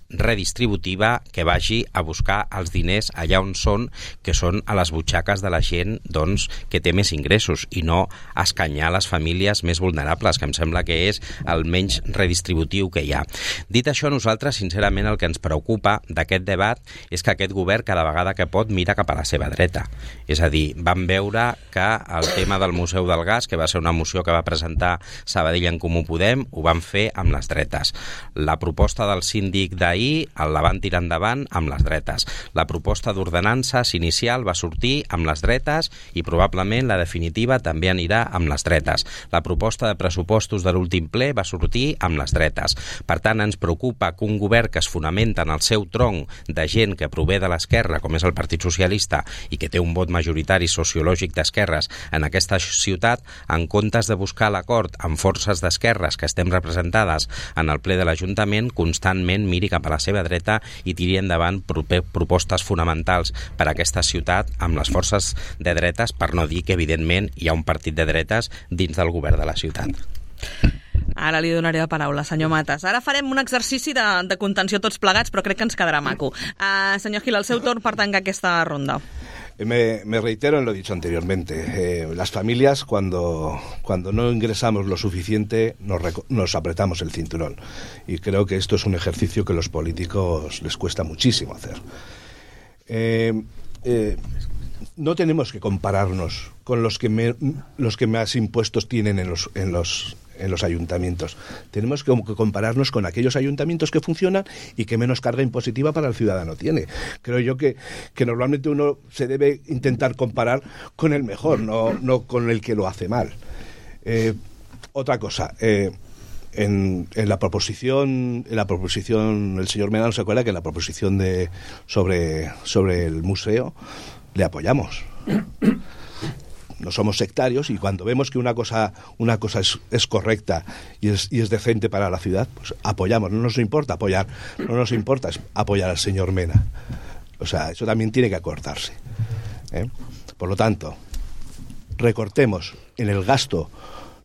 redistributiva que vagi a buscar els diners allà on són, que són a les butxaques de la gent, doncs, que té més ingressos, i no escanyar les famílies més vulnerables, que em sembla que és el menys redistributiu que hi ha. Dit això, nosaltres, sincerament, el que ens preocupa d'aquest debat és que aquest govern, cada vegada que pot, mira cap a la seva dreta. És a dir, vam veure que el tema del Museu del Gas, que va ser una moció que va presentar Sabadell en Comú Podem, ho van fer amb les dretes. La proposta del síndic d'ahir la van tirar endavant amb les dretes. La proposta d'ordenances inicial va sortir amb les dretes i probablement la definitiva també anirà amb les dretes. La proposta de pressupostos de l'últim ple va sortir amb les dretes. Per tant, ens preocupa que un govern que es fonamenta en el seu tronc de gent que prové de l'esquerra, com és el Partit Socialista, i que té un vot majoritari sociològic d'esquerres en aquesta ciutat, en comptes de buscar l'acord amb forces d'esquerres que estem representades en el ple de l'Ajuntament, constantment miri cap a la seva dreta i tiri endavant propostes fonamentals per a aquesta ciutat amb les forces de dretes, per no dir que evidentment hi ha un partit de dretes dins del govern de la ciutat. Ara li donaré la paraula, senyor Matas. Ara farem un exercici de contenció tots plegats, però crec que ens quedarà maco. Senyor Gil, el seu torn per tancar aquesta ronda. Me reitero en lo dicho anteriormente. Las familias, cuando no ingresamos lo suficiente, nos apretamos el cinturón. Y creo que esto es un ejercicio que a los políticos les cuesta muchísimo hacer. No tenemos que compararnos con los que más impuestos tienen en los ayuntamientos. Tenemos que compararnos con aquellos ayuntamientos que funcionan y que menos carga impositiva para el ciudadano tiene. Creo yo que normalmente uno se debe intentar comparar con el mejor, no con el que lo hace mal. Otra cosa, en la proposición, el señor Mena se acuerda que en la proposición sobre el museo le apoyamos. No somos sectarios, y cuando vemos que una cosa es correcta y es decente para la ciudad, pues apoyamos. No nos importa apoyar al señor Mena. O sea, eso también tiene que acordarse. Por lo tanto, recortemos en el gasto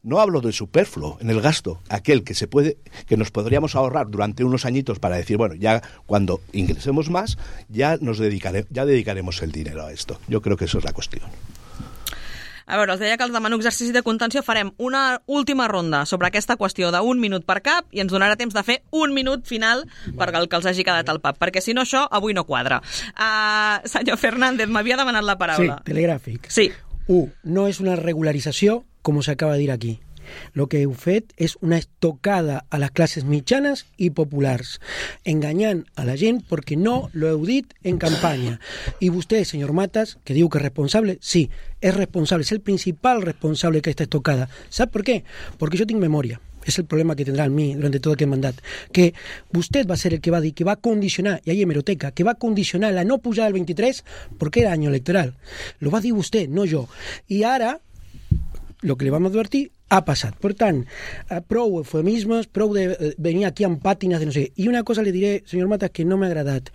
No hablo de superfluo en el gasto, aquel que nos podríamos ahorrar durante unos añitos para decir, bueno, ya cuando ingresemos más, ya dedicaremos el dinero a esto. Yo creo que eso es la cuestión. A veure, els deia que els demano exercici de contenció. Farem una última ronda sobre aquesta qüestió d'un minut per cap i ens donarà temps de fer un minut final per al que els hagi quedat al pap, perquè si no això avui no quadra. Senyor Fernández, m'havia demanat la paraula. Sí, telegràfic. Sí. 1. No és una regularització, com s'acaba de dir aquí. Lo que heu fet és una estocada a les classes mitjanes i populars, enganyant a la gent perquè no lo heu dit en campanya. I vostè, senyor Matas, que diu que és responsable, sí, és responsable, és el principal responsable d'aquesta estocada. Sap per què? Perquè jo tinc memòria. Es el problema que tendrá en mí durante todo aquel mandato, que usted va a ser el que va a decir, que va a condicionar, y hay hemeroteca, que va a condicionar la no pujada del 23 porque era año electoral. Lo va a decir usted, no yo. Y ahora, lo que le vamos a advertir ha passat. Per tant, prou eufemismes, prou de venir aquí amb pàtines de no sé. I una cosa le diré, senyor Matas, que no m'ha agradat.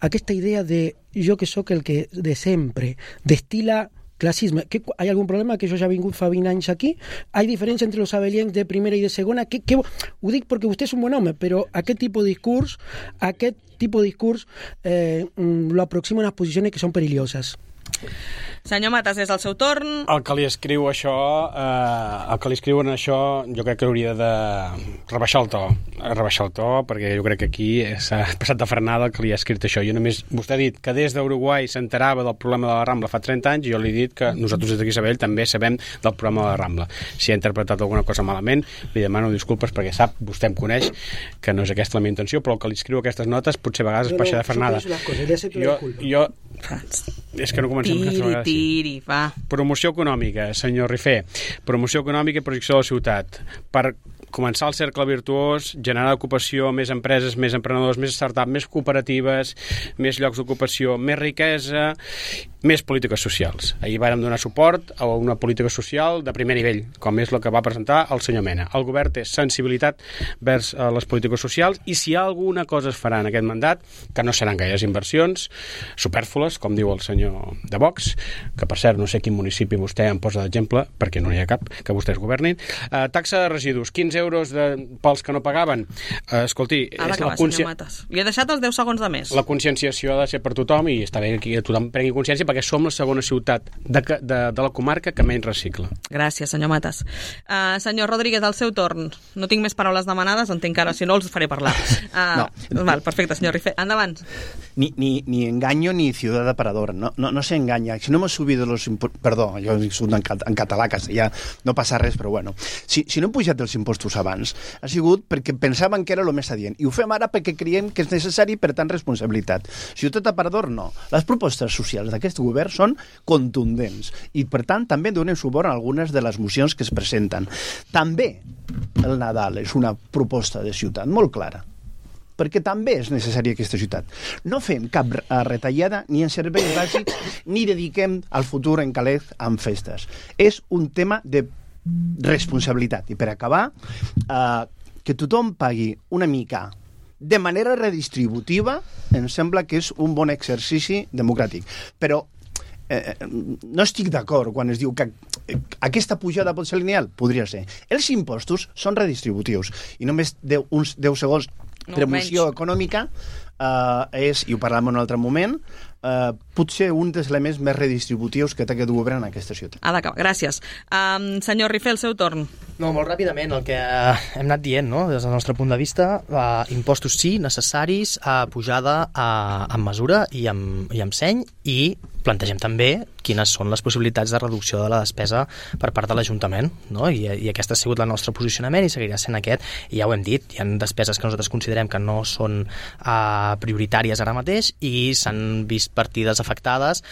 Aquesta idea de jo que sóc el que de sempre destila clasisme. ¿Hay algún problema que yo ya he vingut fa 20 anys aquí? ¿Hay diferència entre los abelians de primera i de segona? Ho dic perquè vostè és un bon home, però aquest tipus de discurs lo aproxima a unes posicions que són perilloses. Senyor Matas, és el seu torn. El que li escriuen això, jo crec que hauria de rebaixar el to, perquè jo crec que aquí s'ha passat de frenada el que li ha escrit això. Vostè ha dit que des d'Uruguai s'enterava del problema de la Rambla fa 30 anys i jo li he dit que nosaltres des d'aquí a Sabadell també sabem del problema de la Rambla. Si ha interpretat alguna cosa malament, li demano disculpes perquè sap, vostè em coneix, que no és aquesta la meva intenció, però el que li escriu aquestes notes potser a vegades es baixa de frenada. Jo és que no comencem tiri, va. Promoció econòmica, senyor Rifé. Promoció econòmica i projecció de la ciutat. Per començar el cercle virtuós, generar ocupació, més empreses, més emprenedors, més startups, més cooperatives, més llocs d'ocupació, més riquesa, més polítiques socials. Ahir vàrem donar suport a una política social de primer nivell, com és el que va presentar el senyor Mena. El govern té sensibilitat vers les polítiques socials i si alguna cosa es farà en aquest mandat, que no seran gaires inversions, supèrflues, com diu el senyor de Vox, que per cert no sé quin municipi vostè em posa d'exemple, perquè no n'hi ha cap, que vostès governin. Taxa de residus, 15 euros pels que no pagaven. Escolti, ha d'acabar, senyor Matas. Li he deixat els 10 segons de més. La conscienciació ha de ser per tothom i està bé que tothom prengui consciència perquè som la segona ciutat de la comarca que menys recicla. Gràcies, senyor Matas. Senyor Rodríguez, al seu torn. No tinc més paraules demanades, entenc que ara, si no, els faré parlar. No. Val, perfecte, senyor Rifé. Endavant. Ni engaño ni ciudad aparador. No se engaña. Si no hemos subido los impuestos... Perdó, jo dic en català, ja no passa res, però bueno. Si no hem pujat els impostos abans, ha sigut perquè pensaven que era el més adient. I ho fem ara perquè creiem que és necessari, per tant, responsabilitat. Ciutat aparador, no. Les propostes socials d'aquest govern són contundents i, per tant, també donem suport a algunes de les mocions que es presenten. També el Nadal és una proposta de ciutat molt clara, perquè també és necessària aquesta ciutat. No fem cap retallada ni en serveis bàsics ni dediquem al futur en calés amb festes. És un tema de responsabilitat. I per acabar, que tothom pagui una mica de manera redistributiva em sembla que és un bon exercici democràtic. Però no estic d'acord quan es diu que aquesta pujada pot ser lineal. Podria ser. Els impostos són redistributius i només uns 10 segons de moció econòmica és, i ho parlem en un altre moment, potser un dels elements més redistributius que té aquest govern en aquesta ciutat. Ha d'acabar, gràcies. Senyor Rifé, el seu torn. No, molt ràpidament, el que hem anat dient, no? Des del nostre punt de vista, impostos sí, necessaris, pujada amb mesura i amb seny, i plantegem també quines són les possibilitats de reducció de la despesa per part de l'Ajuntament, no? I aquest ha sigut el nostre posicionament i seguirà sent aquest, i ja ho hem dit, hi ha despeses que nosaltres considerem que no són prioritàries ara mateix i s'han vist partides afectades,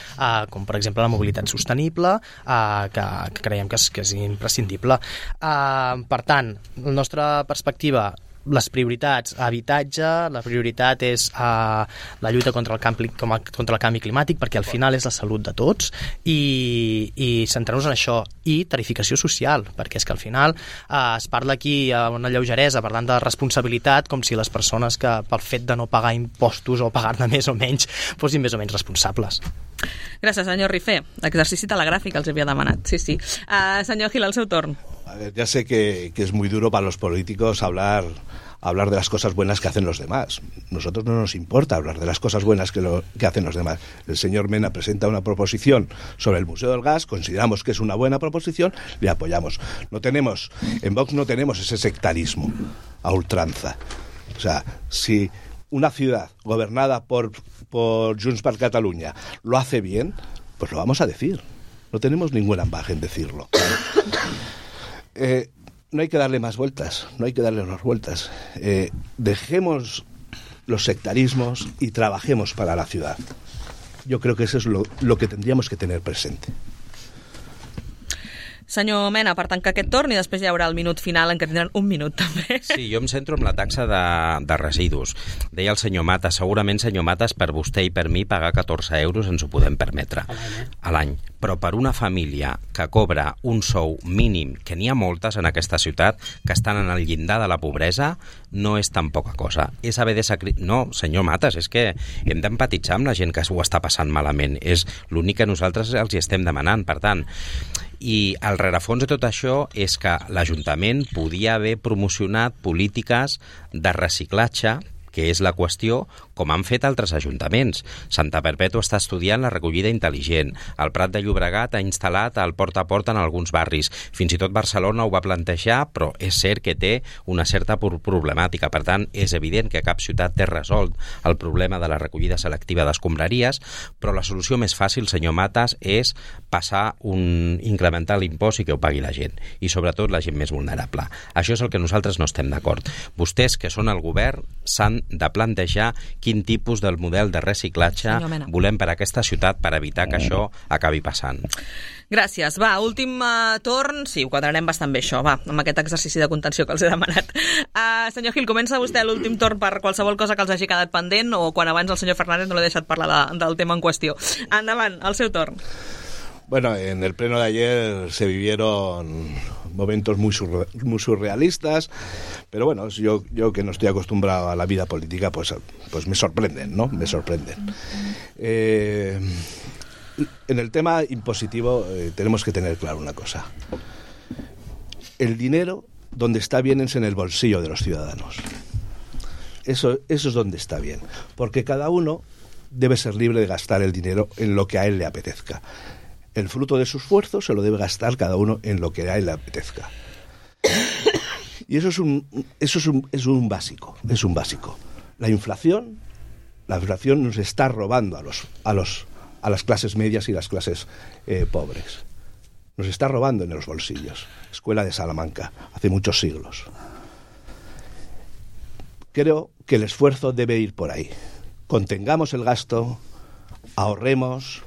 com per exemple la mobilitat sostenible, que creiem que és imprescindible. Per tant, la nostra perspectiva, les prioritats, habitatge, la prioritat és la lluita contra el canvi climàtic, perquè al final és la salut de tots, i centrar-nos en això, i tarificació social, perquè és que al final es parla aquí amb una lleugeresa parlant de responsabilitat, com si les persones que pel fet de no pagar impostos o pagar-ne més o menys fossin més o menys responsables. Gràcies, senyor Rifé. L'exercici telegràfic els havia demanat, sí. Senyor Gil, el seu torn. ya sé que es muy duro para los políticos hablar de las cosas buenas que hacen los demás. Nosotros no nos importa hablar de las cosas buenas que hacen los demás. El señor Mena presenta una proposición sobre el Museo del Gas, consideramos que es una buena proposición, le apoyamos. En Vox no tenemos ese sectarismo a ultranza. O sea, si una ciudad gobernada por Junts per Catalunya lo hace bien, pues lo vamos a decir. No tenemos ningún ambaje en decirlo. No hay que darle más vueltas, dejemos los sectarismos y trabajemos para la ciudad. Yo creo que eso es lo que tendríamos que tener presente. Senyor Mena, per tancar aquest torn, i després hi haurà el minut final en què tindran un minut també. Sí, jo em centro en la taxa de residus. Deia el senyor Matas, segurament, senyor Matas, per vostè i per mi pagar 14 euros ens ho podem permetre a l'any. Però per una família que cobra un sou mínim, que n'hi ha moltes en aquesta ciutat, que estan en el llindar de la pobresa, no és tan poca cosa. És haver de sacrificar... No, senyor Matas, és que hem d'empatitzar amb la gent que ho està passant malament. És l'únic que nosaltres els hi estem demanant. Per tant, i el rerefons de tot això és que l'Ajuntament podia haver promocionat polítiques de reciclatge, que és la qüestió, com han fet altres ajuntaments. Santa Perpètua està estudiant la recollida intel·ligent. El Prat de Llobregat ha instal·lat el porta a porta en alguns barris. Fins i tot Barcelona ho va plantejar, però és cert que té una certa problemàtica. Per tant, és evident que cap ciutat té resolt el problema de la recollida selectiva d'escombraries, però la solució més fàcil, senyor Matas, és incrementar l'impost i que ho pagui la gent. I sobretot la gent més vulnerable. Això és el que nosaltres no estem d'acord. Vostès, que són el govern, s'han de plantejar quin tipus del model de reciclatge volem per a aquesta ciutat per evitar que això acabi passant. Gràcies. Va, últim torn. Sí, ho quadrarem bastant bé, això. Va, amb aquest exercici de contenció que els he demanat. Senyor Gil, comença vostè l'últim torn per qualsevol cosa que els hagi quedat pendent o quan abans el senyor Fernández no l'ha deixat parlar del tema en qüestió. Endavant, el seu torn. Bueno, en el pleno de ayer se vivieron momentos muy surrealistas, pero bueno, yo que no estoy acostumbrado a la vida política, pues me sorprenden, ¿no? Me sorprenden. En el tema impositivo tenemos que tener claro una cosa. El dinero, donde está bien, es en el bolsillo de los ciudadanos. Eso es donde está bien, porque cada uno debe ser libre de gastar el dinero en lo que a él le apetezca. El fruto de su esfuerzo se lo debe gastar cada uno en lo que a él le apetezca. Y eso es un básico. La inflación nos está robando a las clases medias y las clases pobres. Nos está robando en los bolsillos. Escuela de Salamanca, hace muchos siglos. Creo que el esfuerzo debe ir por ahí. Contengamos el gasto, ahorremos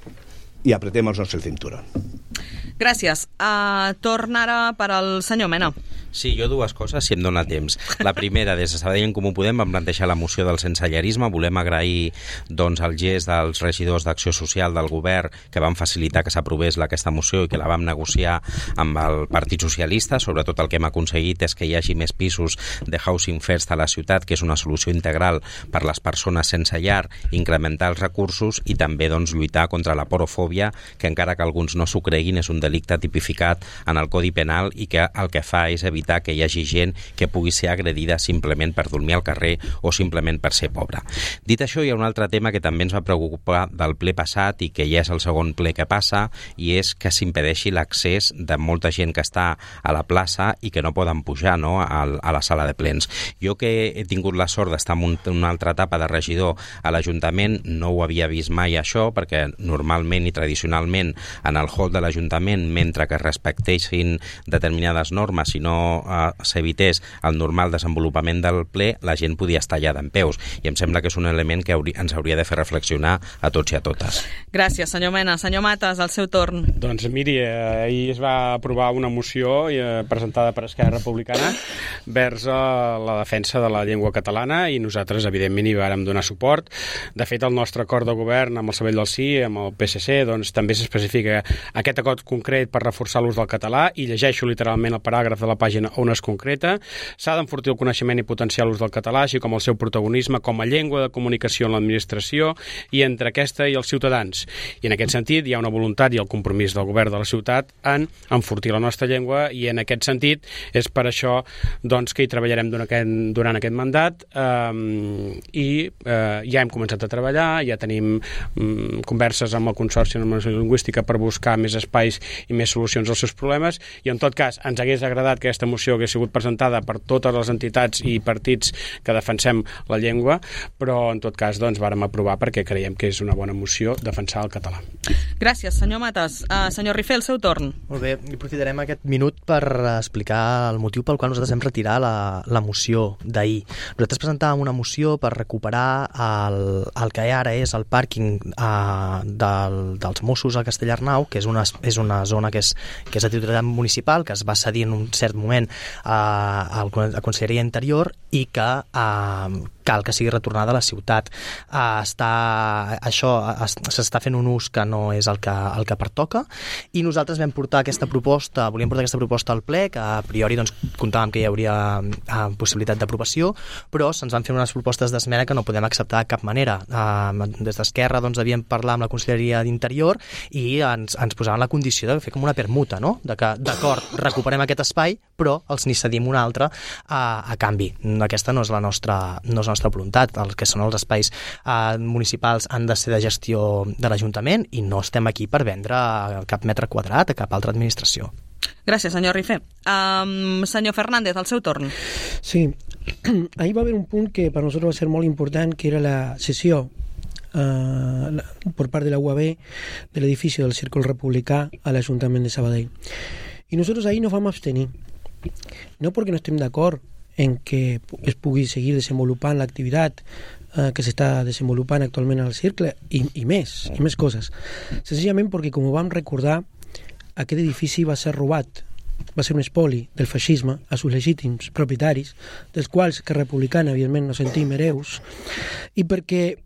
i apretémonos el cinturón. Gràcies. Torn ara per al senyor Mena. Sí, jo dues coses, si em dóna temps. La primera, des de Sabadell en Comú Podem vam plantejar la moció del sensellarisme. Volem agrair el gest dels regidors d'Acció Social del govern que van facilitar que s'aprovés aquesta moció i que la vam negociar amb el Partit Socialista. Sobretot el que hem aconseguit és que hi hagi més pisos de Housing First a la ciutat, que és una solució integral per les persones sense llar, incrementar els recursos i també lluitar contra la porofòbia, que encara que alguns no s'ho creguin és un delicte tipificat en el Codi Penal i que el que fa és evitar que hi hagi gent que pugui ser agredida simplement per dormir al carrer o simplement per ser pobra. Dit això, hi ha un altre tema que també ens va preocupar del ple passat i que ja és el segon ple que passa, i és que s'impedeixi l'accés de molta gent que està a la plaça i que no poden pujar, no?, a la sala de plens. Jo, que he tingut la sort d'estar en una altra etapa de regidor a l'Ajuntament, no ho havia vist mai això, perquè normalment i tradicionalment en el hall de l'Ajuntament, mentre que es respectessin determinades normes i no s'evités el normal desenvolupament del ple, la gent podia estar allà dempeus, i em sembla que és un element que ens hauria de fer reflexionar a tots i a totes. Gràcies, senyor Mena. Senyor Matas, el seu torn. Doncs miri, ahir es va aprovar una moció presentada per Esquerra Republicana vers la defensa de la llengua catalana, i nosaltres evidentment hi vàrem donar suport. De fet, el nostre acord de govern amb el Sabell del Sí, amb el PSC, doncs també s'especifica aquest acord concret per reforçar l'ús del català, i llegeixo literalment el paràgraf de la pàgina vagin on es concreta. S'ha d'enfortir el coneixement i potenciar l'ús del català, així com el seu protagonisme com a llengua de comunicació en l'administració i entre aquesta i els ciutadans. I en aquest sentit hi ha una voluntat i el compromís del govern de la ciutat en enfortir la nostra llengua, i en aquest sentit és per això doncs, que hi treballarem durant aquest mandat, i ja hem començat a treballar, ja tenim converses amb el Consorci de Normalització Lingüística per buscar més espais i més solucions als seus problemes, i en tot cas ens hagués agradat que aquesta moció hagués sigut presentada per totes les entitats i partits que defensem la llengua, però en tot cas doncs vàrem aprovar perquè creiem que és una bona moció defensar el català. Gràcies, senyor Matas. Senyor Rifé, el seu torn. Molt bé, aprofitarem aquest minut per explicar el motiu pel qual nosaltres vam retirar la moció d'ahir. Nosaltres presentàvem una moció per recuperar el que ara és el pàrquing dels Mossos a Castellarnau, que és una zona que és de titularitat municipal, que es va cedir en un cert moment a la Conselleria Interior i que cal que sigui retornada a la ciutat. S'està fent un ús que no és el que pertoca, i nosaltres volíem portar aquesta proposta al ple, que a priori doncs, comptàvem que hi hauria possibilitat d'aprovació, però se'ns van fer unes propostes d'esmena que no podem acceptar de cap manera. Des d'Esquerra doncs, havíem parlat amb la Conselleria d'Interior i ens posaven la condició de fer com una permuta, no? De que, d'acord, recuperem aquest espai, però els n'hi cedim un altre a canvi. Aquesta no és la nostra voluntat. El que són els espais municipals han de ser de gestió de l'Ajuntament i no estem aquí per vendre cap metre quadrat a cap altra administració. Gràcies, senyor Rifé. Senyor Fernández, el seu torn. Sí, ahir va haver un punt que per nosaltres va ser molt important, que era la cessió por part de la UAB de l'edifici del Círculo Republicà a l'Ajuntament de Sabadell. I nosaltres ahir nos vam abstenir. No perquè no estem d'acord en que es pugui seguir desenvolupant l'activitat que s'està desenvolupant actualment al Cercle i més coses. Senzillament perquè, com ho vam recordar, aquest edifici va ser robat, va ser un espoli del feixisme a sus legítims propietaris, dels quals que Republicana, evidentment, no sentim hereus, i perquè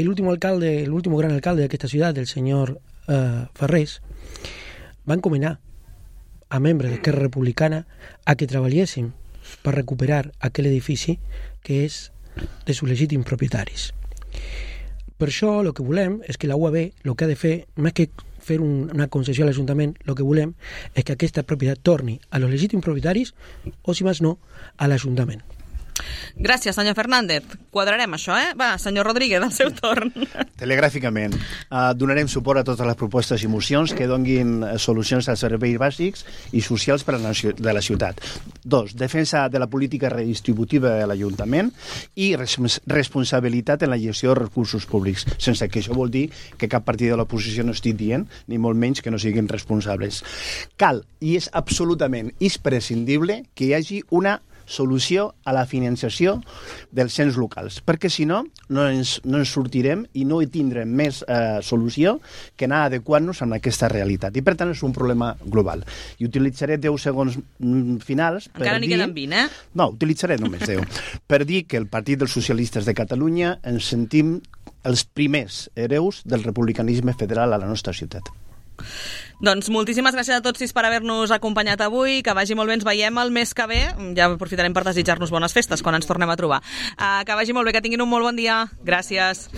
l'últim gran alcalde d'aquesta ciutat, el senyor Ferrés, va encomanar a membres d'Esquerra Republicana a que treballéssim per recuperar aquell edifici que és de sus legítims propietaris. Per això el que volem és que la UAB el que ha de fer, més que fer una concessió a l'Ajuntament, el que volem és que aquesta propietat torni a los legítims propietaris o, si més no, a l'Ajuntament. Gràcies, senyor Fernández. Quadrarem això, Va, senyor Rodríguez, el seu torn. Telegràficament. Donarem suport a totes les propostes i mocions que donguin solucions als serveis bàsics i socials de la ciutat. 2. Defensa de la política redistributiva de l'Ajuntament i responsabilitat en la gestió de recursos públics, sense que això vol dir que cap partit de l'oposició no estigui dient, ni molt menys que no siguin responsables. Cal, i és absolutament imprescindible, que hi hagi una solució a la financiació dels ens locals, perquè si no, no ens sortirem i no hi tindrem més solució que anar adequant-nos amb aquesta realitat. I per tant és un problema global. I utilitzaré 10 segons finals per encara n'hi queden 20, No, utilitzaré només 10. Per dir que el Partit dels Socialistes de Catalunya ens sentim els primers hereus del republicanisme federal a la nostra ciutat. Doncs moltíssimes gràcies a tots sis per haver-nos acompanyat avui, que vagi molt bé, ens veiem el mes que ve, ja aprofitarem per desitjar-nos bones festes quan ens tornem a trobar. Que vagi molt bé, que tinguin un molt bon dia. Gràcies.